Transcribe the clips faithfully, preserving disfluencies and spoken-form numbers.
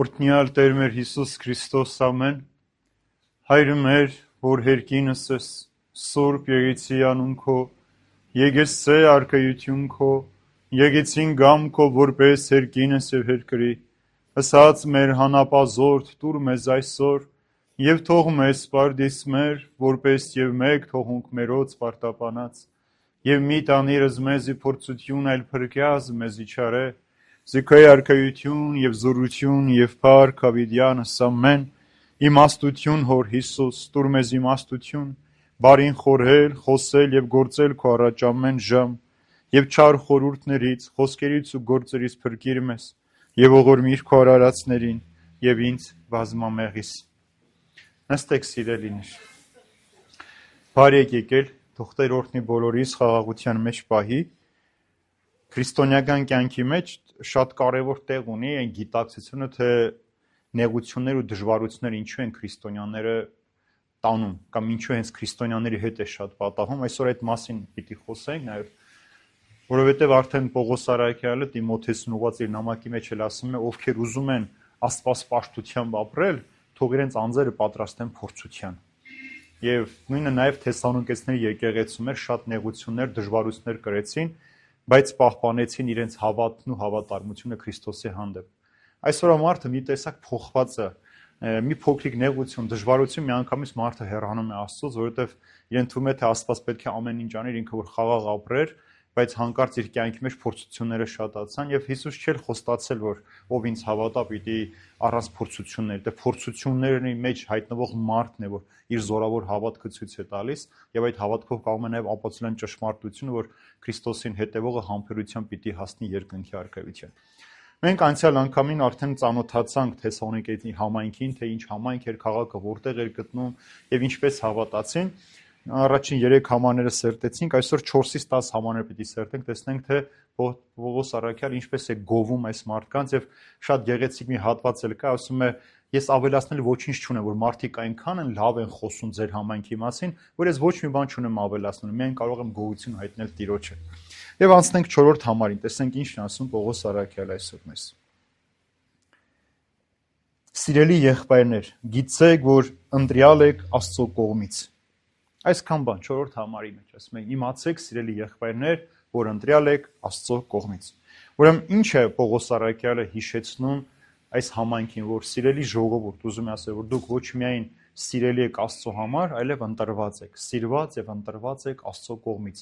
Օրհնյալ Տեր մեր Հիսուս Քրիստոս ամեն, Հայրը մեր, որ հերկինս ես, Սուրբ Եղեցի անուն քո, եկեցե արքայություն քո, եկեցին գամ քո որպես հերկինս եւ հերկրի, ըսած մեր հանապազորդ տուր մեզ այսօր, եւ թող մեզ սպարդիս մեր, որպես եւ մեկ թողունք մերոց պարտապանած, եւ մի տանիրս մեզի փորձություն այլ փրկյազ մեզի չարե, Զիքոյ արքայություն եւ զորություն եւ փառք հավիտյանս ամեն, իմաստություն հոր Հիսուս, տուր մեզ իմաստություն, բարին խորհել, խոսել եւ գործել քո առաջ ամեն ժամ, եւ չար խորհուրդներից, խոսքերից ու գործերից փրկիր մեզ, եւ ողորմիր քո արարածներին եւ ինձ բազմամեղիս։ Նստեք սիրելիներ։ Բարի եկել, թող Տեր օրհնի բոլորիս խաղաղության մեջ պահի։ Քրիստոնեական կյանքի մեջ շատ կարևոր տեղ ունի այն գիտակցությունը, թե նեղություններ ու դժվարություններ ինչու են քրիստոնյաները տանում, կամ ինչու հենց քրիստոնյաների հետ է շատ պատահում։ Այսօր այդ մասին պիտի խոսենք նաև, որովհետև արդեն Պողոս առաքյալը Տիմոթեոսին ուղղված իր նամակի մեջ էլ ասում է, ովքեր ուզում են աստվածպաշտությամբ ապրել, թող իրենց անձերը պատրաստեն փորձության։ Եվ նույնը նաև Թեսաղոնիկեցիների եկեղեցում էր շատ նեղություններ, դժվարություններ կրեցին, բայց պահպանեցին իրենց հավատն ու հավատարմությունը Քրիստոսի հանդեպ։ Այսօր մարդը մի տեսակ փոխված է, մի փոքրիկ նեղություն, դժվարություն միանգամից մարդը հեռանում է Աստծուց, որովհետև իրեն թվում է, թե Աստված պետք է ամեն ինչ աներ, ինքը որ խաղաղ ապրեր, բայց հանկարծ իր կյանքի մեջ փորձությունները շատացան եւ Հիսուս չէր խոստացել, որ ով ինձ հավատա, պիտի առանց փորձություններ, դե փորձությունների մեջ հայտնվող մարդն է, որ իր զորավոր հավատքը ցույց է տալիս եւ այդ հավատքով կարող է նաեւ ապացուցել ճշմարտությունը, որ Քրիստոսին հետևողը համբերությամբ պիտի հասնի երկնքի արքայության։ Մենք անցյալ անգամին արդեն ծանոթացանք Թեսաղոնիկեցի համայնքին, թե ինչ համայնք էր, քաղաքը որտեղ էր գտնում եւ ինչպես հավատացին։ Առաջին երեք համարները սերտեցինք, այսօր չորսից տաս համարներ պիտի սերտենք, տեսնենք, թե Պողոս առաքյալը ինչպես է գովում այս մարդկանց եւ շատ գեղեցիկ մի հատված էլ կա, ասում է, ես ավելացնել ոչինչ չունեմ, որ մարդիկ այնքան են լավ են խոսում ձեր համայնքի մասին, որ ես ոչ մի բան չունեմ ավելացնել, միայն կարող եմ գոհություն հայտնել Տիրոջը։ Եվ անցնենք չորրորդ համարին, տեսնենք ինչն է ասում Պողոս առաքյալը այսօր մեզ։ Սիրելի եղբայրներ, գիտեք, որ ընտրյալ եք Աստծո կողմից։ Այսքան բան չորրորդ համարի մեջ ասում է, իմացեք, սիրելի եղբայրներ, որ ընտրյալ եք Աստծո կողմից։ Ուրեմն ինչ է Պողոս առաքյալը հիշեցնում այս համայնքին, որ սիրելի ժողովուրդ, ուզում է ասել, որ դուք ոչ միայն սիրելի եք Աստծո համար, այլև ընտրված եք, սիրված եւ ընտրված եք Աստծո կողմից։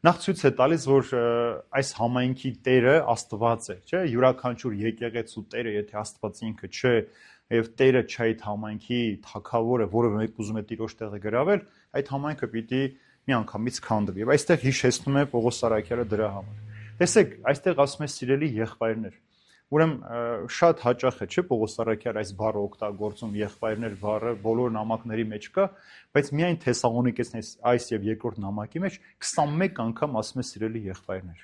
Նախ ցույց է տալիս, որ այս համայնքի Տերը Աստված է, չէ՞, յուրաքանչյուր եկեղեցու Տերը, եթե Աստված ինքը չէ, եւ Տերը չէ այդ համայնքի թագավորը, որը մեկ ուզում է Տիրոջ տեղը գրավել, այդ համայնքը պիտի միանգամից քանդվի։ Եվ այստեղ հիշեցնում է Պողոս առաքյալը դրա համար։ Տեսեք, այստեղ ասում է սիրելի եղբայրներ։ Ուրեմն շատ հաճախ է, չէ՞, Պողոս առաքյալը այս բառը օգտագործում, եղբայրներ բառը բոլոր նամակների մեջ կա, բայց միայն Թեսաղոնիկեցիների այս եւ երկրորդ նամակի մեջ քսանմեկ անգամ ասում է սիրելի եղբայրներ։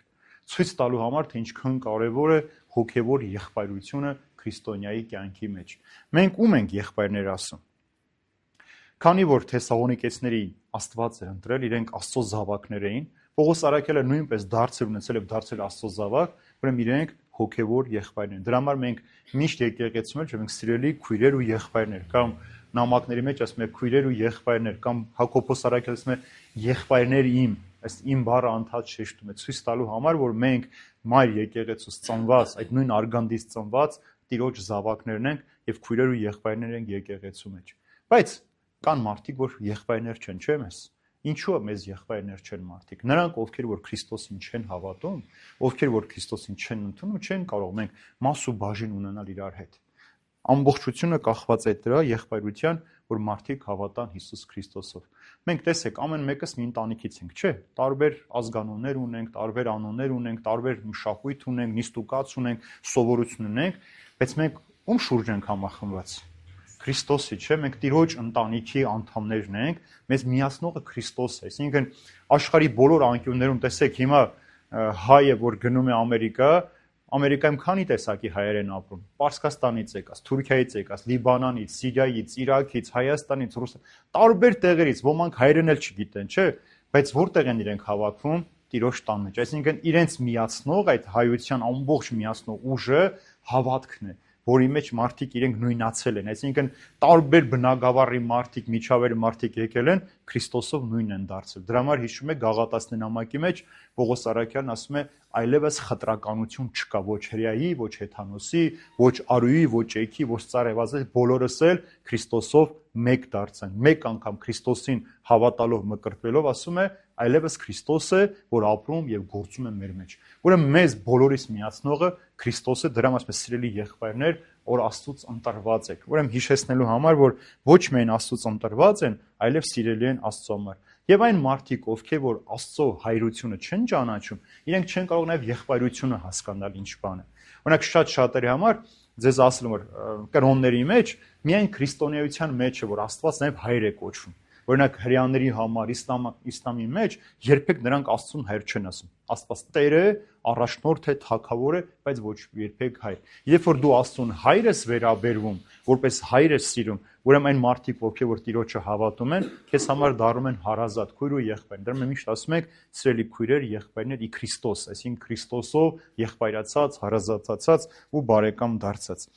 Ցույց տալու համար, թե ինչքան կարեւոր է հոգեվոր եղբայրությունը քրիստոնյայի կյանքի մեջ։ Մենք ում ենք եղբայրներ ասում։ Քանի որ Թեսաղոնիկեցիների Աստված էր ընտրել, իրենք Աստծո զավակներ էին, Պողոս առաքյալը նույնպես դարձել ունեցել եւ դարձել Աստծո զավակ, ուրեմն իրենք հոգեվոր եղբայրներ են։ Դրա համար մենք միշտ եկեղեցում ենք, մենք սիրելի քույրեր ու եղբայրներ, կամ նամակների մեջ ասում է քույրեր ու եղբայրներ, կամ Հակոբոս առաքյալը ասում է եղբայրներ իմ, այս իմ բառը անդադ շեշտում է, ցույց տալու համար, որ մենք մայր եկեղեցուց ծնված, այդ նույն արգանդից ծնված Տիրոջ զավակներն ենք եւ քույրեր ու եղբայրներ ենք եկեղեցու մեջ։ Բայց կան մարդիկ, որ եղբայրներ չեն, չէ՞ մեզ։ Ինչու է մեզ եղբայրներ չեն մարդիկ։ Նրանք, ովքեր որ Քրիստոսին չեն հավատում, ովքեր որ Քրիստոսին չեն ընդունում, չեն կարող մենք մաս ու բաժին ունենալ իրար հետ։ Ամբողջությունը կախված է դրա եղբայրության, որ մարդիկ հավատան Հիսուս Քրիստոսով։ Մենք տեսեք, ամեն մեկս մի ընտանիքից ենք, չէ՞։ Տարբեր ազգանուններ ունենք, տարբեր անուններ ունենք, տարբեր մշակույթ ունենք, նիստուկաց ունենք, սովորություն ունենք, բայց մենք ում շուրջ ենք համախմբված։ Քրիստոսի, չէ՞, մենք Տիրոջ ընտանիքի անդամներն ենք, մեզ միացնողը Քրիստոս է։ Այսինքն աշխարհի բոլոր անկյուններում տեսեք, հիմա հայը, որ գնում է Ամերիկա, Ամերիկայում քանի տեսակի հայեր են ապրում։ Պարսկաստանից եկած, Թուրքիայից եկած, Լիբանանից, Սիրիայից, Իրաքից, Հայաստանից, Ռուսաստանից, տարբեր տեղերից, ոմանք հայերեն էլ չգիտեն, չէ՞, բայց որտեղ են իրենք հավաքվում Տիրոջ տան մեջ։ Այսինքն իրենց միացնող այդ հայության ամբողջ միացնող ուժը հավատքն է։ որի մեջ մարդիկ իրենք նույնացել են, այսինքն տարբեր բնագավառի մարդիկ, միջավայրի մարդիկ եկել են, Քրիստոսով նույնն են դարձել։ Դրա համար հիշում եք Գաղատացի նամակի մեջ Պողոս Արաքյանն ասում է, այլևս խտրականություն չկա, ոչ հրեայի, ոչ հեթանոսի, ոչ արուի, ոչ էքի, ոչ ծառայվածի, բոլորս էլ Քրիստոսով մեկ դարձան, մեկ անգամ Քրիստոսին հավատալով մկրտվելով, ասում է, այլևս Քրիստոս է, որ ապրում եւ գործում է մեր մեջ։ Ուրեմն մեզ բոլորիս միացնողը Քրիստոս է, դրա համար սիրելի եղբայրներ, որ Աստծուց ընտրված եք։ Ուրեմն հիշեցնելու համար, որ ոչ միայն Աստծուց ընտրված են, այլև սիրելի են Աստծո համար։ Եվ այն մարդիկ, ովքեր որ Աստծո հայրությունը չեն ճանաչում, իրենք չեն կարող նաև եղբայրությունը հասկանալ ինչ բան է։ Օրինակ շատ շատերի համար ձեզ ասում որ կրոնների մեջ միայն քրիստոնեության մեջ է, որ Աստված նաև հայր է կոչվում։ Օրինակ հրեաների համար իսլամ, իսլամի մեջ երբեք նրանք Աստծուն հայր չեն ասում։ Աստված Տեր է, առաջնորդ է, թագավոր է, բայց ոչ երբեք հայր։ Երբ որ դու Աստծուն հայր ես վերաբերվում, որպես հայր ես սիրում, ուրեմն այն մարդիկ, ովքեր որ Տիրոջը հավատում են, քեզ համար դառնում են հարազատ, քույր ու եղբայր։ Դրա մենք միշտ ասում ենք, սիրելի քույրեր, եղբայրներ, ի Քրիստոս, այսինքն Քրիստոսով եղբայրացած, հարազատացած ու բարեկամ դարձած։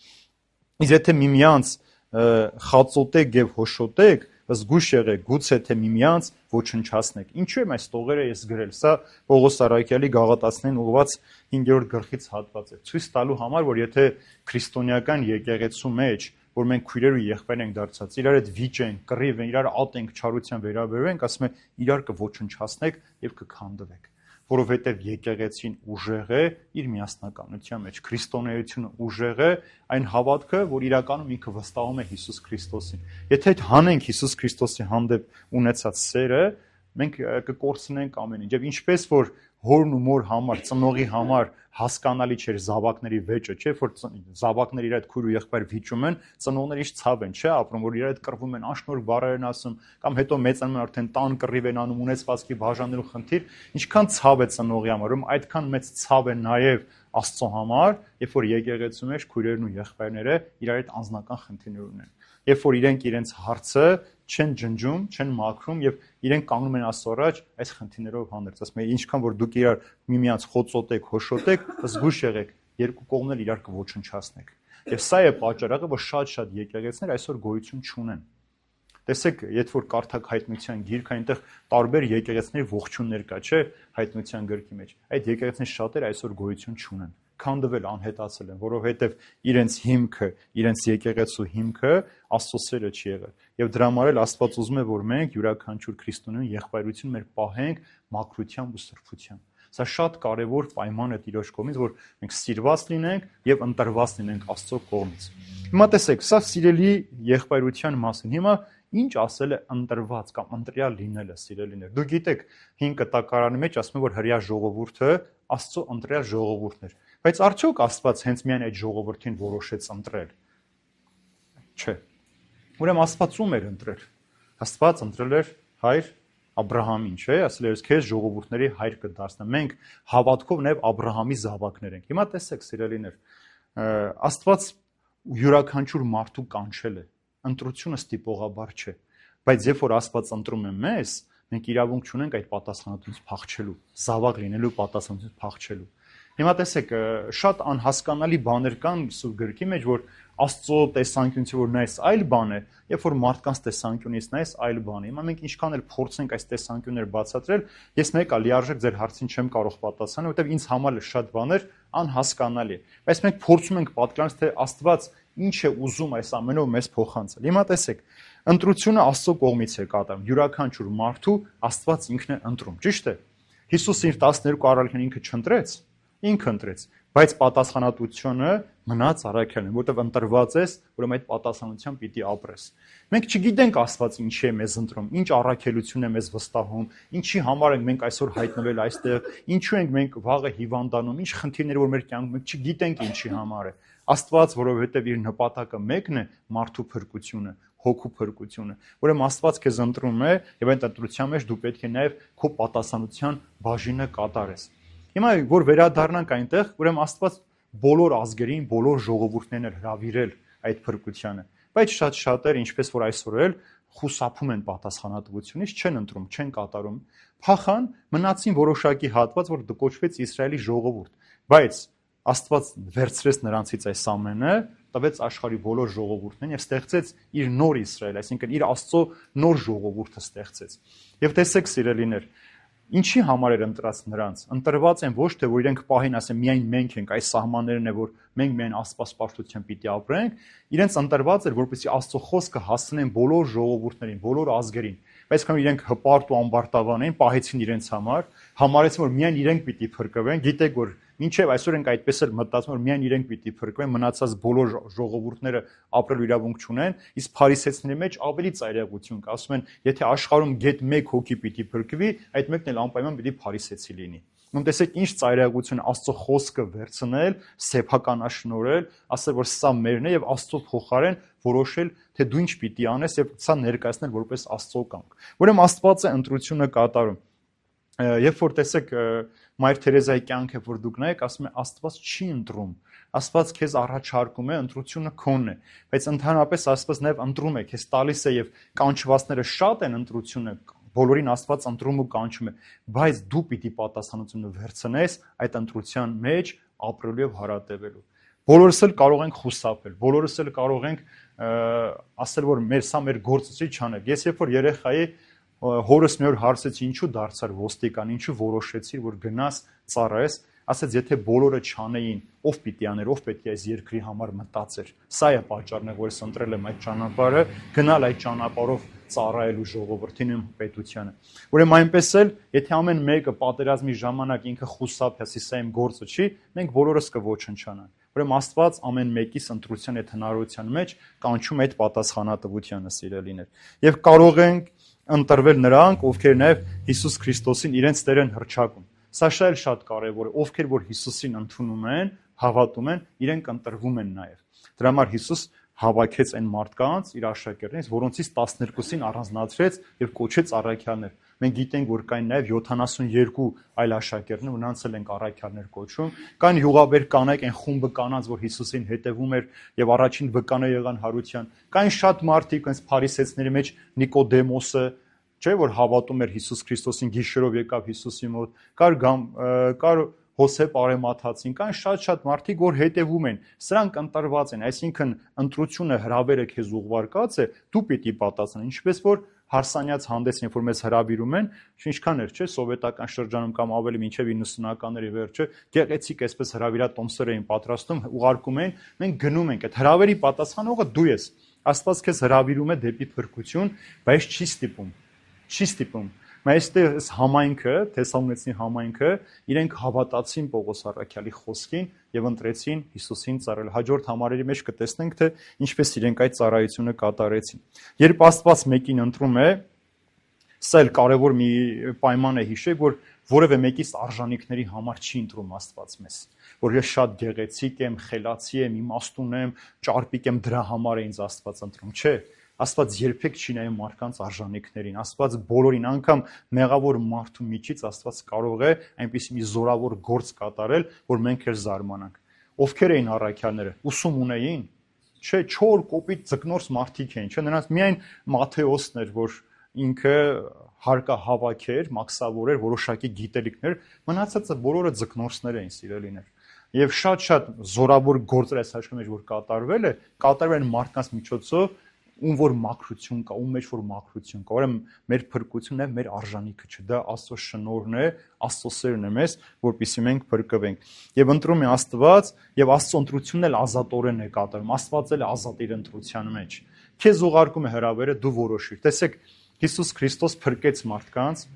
Իսկ եթե միմյանց խածոտեք եւ հոշոտեք, զգույշ եղեք, գուցե թե միմյանց ոչնչացնեք։ Ինչու եմ այս տողերը ես գրել։ Սա Պողոս Արաքյալի Գաղատացիներին ուղղված հինգերորդ գլխից հատված է։ Ցույց տալու համար, որ եթե քրիստոնեական եկեղեցու մեջ, որ մենք քույրեր ու եղբայր ենք դարձած, իրար հետ վիճ ենք, կռիվ ենք, իրար ատ ենք, չարության վերաբերվենք, ասում է, իրար կոչնչացնեք եւ կքանդվեք։ Որովհետև եկեղեցին ուժեղ է իր միասնականության մեջ, քրիստոնեությունը ուժեղ է, այն հավատքը, որ իրականում ինքը վստահում է Հիսուս Քրիստոսին։ Եթե հանենք Հիսուս Քրիստոսի հանդեպ ունեցած սերը, մենք կկորցնենք ամեն ինչ։ Եվ ինչպես որ հորն ու մոր համար, ծնողի համար հասկանալի չէր զավակների վեճը, չէ՞, որ զավակները իր այդ քույր ու եղբայր վիճում են, ծնողները ինչ ցավ են, չէ՞, ապրում, որ իր այդ կռվում են, անշնորհ բառեր են ասում, կամ հետո մեծանում են արդեն տան կռիվ են անում, ունեցվածքի բաժանելու խնդիր, ինչքան ցավ է ծնողի համար, ում այդքան մեծ ցավ է նաև Աստծո համար, երբ որ եկեղեցու մեջ քույրերն ու եղբայրները իրար հետ անձնական խնդիրներ ունեն։ Երբ որ իրենք իրենց հարցը չեն ջնջում, չեն մաքրում եւ իրենք կանգնում են Աստծո առաջ այս խնդիրներով հանդերձ, ասում են ինչքան որ դուք իրար միմյանց խոցոտեք, հոշոտեք, զգույշ եղեք, երկու կողմն էլ իրար կոչնչացնեք։ Եվ սա է պատճառը, որ շատ-շատ եկեղեցիներ այսօր գոյություն չունեն։ Տեսեք, երբ որ կարդաք հայտնության գիրք, այնտեղ տարբեր եկեղեցիների ողջուններ կա, չէ՞, հայտնության գրքի մեջ։ Այդ եկեղեցիների շատերը այսօր գոյություն չունեն, քանդվել, անհետացել են, որովհետև իրենց հիմքը, իրենց եկեղեցու հիմքը Աստծո սերը չի եղել։ Եվ դրա համար էլ Աստված ուզում է, որ մենք յուրաքանչյուր քրիստոնյա եղբայրություն մեր պահենք մաքրությամբ ու սրբությամբ։ Սա շատ կարևոր պայման է Տիրոջ կողմից, որ մենք սիրված լինենք եւ ընտրված լինենք Աստծո կողմից։ Հիմա տեսեք, սա սիրելի եղբայրության մասին։ Հիմա ինչ ասել է ընտրված կամ ընտրյալ լինելը, սիրելիներ։ Դուք գիտեք, հին կտակարանի մեջ ասում է, որ հրեա ժողովուրդը Աստծո ընտրյալ ժողովուրդն էր։ Բայց արդյոք Աստված հենց միայն այդ ժողովրդին որոշեց ընտրել։ Չէ։ Ուրեմն Աստված ում էր ընտրել։ Աստված ընտրել էր հայր Աբրահամին, չէ՞, ասել էր, քեզ ժողովուրդների հայր կդարձնեմ։ Մենք հավատքով նաև Աբրահամի զավակներ ենք։ Հիմա տեսեք, սիրելիներ, Աստված յուրաքանչյուր մարդու կանչել է։ Ընտրությունը ստիպողաբար չէ, բայց երբ որ Աստված ընտրում է մեզ, մենք իրավունք չունենք այդ պատասխանատվությունից փախչելու, զավակ լինելու պատասխանատվությունից փախչելու։ Հիմա տեսեք, շատ անհասկանալի բաներ կան Սուրբ գրքի մեջ, որ Աստծո տեսանկյունից որ նայես այլ բան է, երբ որ մարդկանց տեսանկյունից նայես այլ բան է։ Հիմա մենք ինչքան էլ փորձենք այս տեսանկյունները բացատրել, ես մեկը լիարժեք ձեր հարցին չեմ կարող պատասխանել, որովհետև ինձ համար էլ շատ բաներ անհասկանալի է։ Բայց մենք փորձում ենք պատկերացնել, թե Աստված ինչ է ուզում այս ամենով մեզ փոխանցել։ Հիմա տեսեք, ընտրությունը Աստծո կողմից է կատարվում։ Յուրաքանչյուր մարդու Աստված ինքն է ընտրում, ճիշտ է։ Հիսուսը իր տասներկու առաքյալին ինքը չընտրեց, ինքը ընտրեց, բայց պատասխանատվությունը մնաց առաքյալին, որտեղ ընտրված ես, ուրեմն այդ պատասխանությամբ պիտի ապրես։ Մենք չգիտենք Աստված ինչի է մեզ ընտրում, ինչ առաքելություն է մեզ վստահում, ինչի համար ենք մենք այսօր հայտնվել այստեղ, ինչու ենք մենք վաղը հիվանդանում, ինչ խնդիրներ որ մեր կյանքում մենք չգիտենք ինչի համար է։ Աստված, որովհետև իր նպատակը մեկն է մարդու փրկությունը, հոգու փրկությունը։ Ուրեմն Աստված քեզ ընտրում է եւ այդ ընտրության մեջ դու պետք է նաեւ քո պատասխանության բաժինը կատարես։ Հիմա որ վերադառնանք այնտեղ, ուրեմն Աստված բոլոր ազգերին, բոլոր ժողովուրդներին էր հրավիրել այդ փրկությանը, բայց շատ շատեր, ինչպես որ այսօր էլ խուսափում են պատասխանատվությունից, չեն ընտրում, չեն կատարում։ Փախան, մնացին որոշակի հատված, որ կոչվեց Իսրայելի ժողովուրդ, բայց Աստված վերցրեց նրանցից այս ամենը, տվեց աշխարհի բոլոր ժողովուրդներին եւ ստեղծեց իր նոր Իսրայել, այսինքն իր Աստծո նոր ժողովուրդը ստեղծեց։ Եվ տեսեք, սիրելիներ, ինչի համար էր ընտրած նրանց։ Ընտրված են ոչ թե որ իրենք պահին ասեն միայն մենք ենք, այս սահմաններն է որ մենք միայն աստվածպաշտությամբ պիտի ապրենք, իրենց ընտրված էր որպեսզի Աստծո խոսքը հասցնեն բոլոր ժողովուրդներին, բոլոր ազգերին։ Բայց քան իրենք հպարտ ու ամբարտավան էին, պահեցին իրենց համար, համարեցին որ միայն իրենք պիտի փրկվեն, գիտեք որ մինչև այսօր ենք այդպես էլ մտածում որ միայն իրենք պիտի փրկվեն, մնացած բոլոր ժողովուրդները ապրելու իրավունք չունեն, իսկ փարիսեցիների մեջ ավելի ծայրահեղություն կա, ասում են, եթե աշխարհում գեթ մեկ հոգի պիտի փրկվի, այդ մեկն էլ անպայման պիտի փարիսեցի լինի։ Ում տեսեք ինչ ծայրահեղություն Աստծո խոսքը վերցնել, սեփականաշնորհել, ասել որ սա մերն է եւ Աստծո փոխարեն որոշել թե դու ինչ պիտի անես եւ սա ներկայացնել որպես Աստծո կամք։ Ուրեմն Աստված է ընտրությունը կատարում։ Երբ որ տեսեք Մայր Թերեզայի կյանքը, որ դուք նայեք, ասում է Աստված չի ընտրում։ Աստված քեզ առաջարկում է, ընտրությունը քոնն է, բայց ընդհանրապես Աստված նաև ընտրում է, քեզ տալիս է եւ կանչվածները շատ են ընտրությունը, բոլորին Աստված ընտրում ու կանչում է, բայց դու պիտի պատասխանությունը վերցնես այդ ընտրության մեջ ապրելու եւ հարատևելու։ Բոլորս էլ կարող ենք խուսափել, բոլորս էլ կարող ենք ասել, որ մեր սա մեր գործը չանեք։ Ես երբ որ երեխայի հորս մի օր հարցեցի ինչու դարձար ոստիկան, ինչու որոշեցի որ գնաս ծառայես, ասաց եթե բոլորը չանեին, ով պիտի աներ, ով պետք է այս երկրի համար մտածեր։ Սա է պատճառն է, որ ես ընտրել եմ այդ ճանապարհը, գնալ այդ ճանապարհով ծառայելու ժողովրդին ու պետությանը։ Ուրեմն այնպես էլ, եթե ամեն մեկը պատերազմի ժամանակ ինքը խուսափի, սա իմ գործը չի, մենք բոլորս կոչնչանանք։ Ուրեմն Աստված ամեն մեկիս ընտրության այդ հնարավորության մեջ կանչում այդ պատասխանատվությանը, սիրելիներ։ Եվ կարող ենք ընտրվել նրանք, ովքեր նաև Հիսուս Քրիստոսին իրենց Տեր են հռչակում։ Սա շատ կարևոր է, ովքեր որ Հիսուսին ընդունում են, հավատում են, իրենք ընտրվում են նաև։ Դրա համար Հիսուս հավաքեց այն մարդկանց իր աշակերտներից, որոնցից տասներկուսին առանձնացրեց եւ կոչեց առաքյալներ։ Մենք գիտենք, որ կային նաև յոթանասունյոթ այլ աշակերտներ, նրանց էլ ենք առաքյալներ կոչում։ Կային յուղաբեր կանայք, այն խումբը կանանց, որ Հիսուսին հետևում էր եւ առաջին վկանը եղան հարության։ Կային շատ մարդիկ, այնց փարիսեցիների մեջ Նիկոդեմոսը, չէ՞ որ հավատում էր Հիսուս Քրիստոսին, գիշերով եկավ Հիսուսի մոտ։ Կար կար Հոսեփ Արեմաթացին, կան շատ-շատ մարդիկ, որ հետևում են, սրանք ընտրված են, այսինքն ընտրությունը հրավերը քեզ ուղարկած է, դու պիտի պատասխանես, ինչպես որ Հարսանյաց հանդեսն, երբ որ մեզ հրավիրում են, ինչքան էր, չէ, սովետական շրջանում կամ ավելի մինչև իննսունականների վերջը, գեղեցիկ այսպես հրավիրատոմսեր էին պատրաստում, ուղարկում են, մենք գնում ենք, այդ հրավերի պատասխանողը դու ես։ Աստված քեզ հրավիրում է դեպի փրկություն, բայց չի ստիպում, չի ստիպում։ Բայց այս համայնքը, Թեսաղոնեցի համայնքը, իրենք հավատացին Պողոս առաքյալի խոսքին եւ ընտրեցին Հիսուսին ծառայել։ Հաջորդ համարերի մեջ կտեսնենք, թե ինչպես իրենք այդ ծառայությունը կատարեցին։ Երբ Աստված մեկին ընտրում է, սա էլ կարևոր մի պայման է հիշել, որ որևէ մեկից արժանինքների համար չի ընտրում Աստված մեզ, որ ես շատ գեղեցիկ եմ, խելացի եմ, իմաստուն եմ, ճարպիկ եմ, դրա համար է ինձ Աստված ընտրում, չէ։ Աստված երբեք չի նայում մարդկանց արժանինքներին, Աստված բոլորին, անգամ մեղավոր մարդու միջից Աստված կարող է այնպիսի մի զորավոր գործ կատարել, որ մենք էլ զարմանանք։ Ովքեր էին առաքյալները, ուսում ունեին, չէ, չոր կոպիտ ձկնորս մարդիկ էին, չէ, նրանց միայն Մատթեոսն էր, որ ինքը հարկահավաք էր, մաքսավոր էր, որոշակի գիտելիքներ, մնացածը բոլորը ձկնորսներ էին, սիրելիներ։ Եվ շատ-շատ զորավոր գործեր այս աշխարհի մեջ որ կատարվել է, կատարվել են մարդկանց միջոցով, ում որ մաքրություն կա, ում մեջ որ մաքրություն կա, ուրեմն մեր փրկությունն է մեր արժանինքը չէ, դա Աստծո շնորհն է, Աստծո սերն է մեզ, որպեսզի մենք փրկվենք։ Եվ ընտրում է Աստված, եւ Աստծո ընտրությունն էլ ազատորեն է կատարում, Աստված էլ ազատ իր ընտրության մեջ։ Քեզ ուղարկում է հրավերը, դու որոշիր։ Տեսեք, Հիսուս Քրիստոս փրկեց մարդկանց,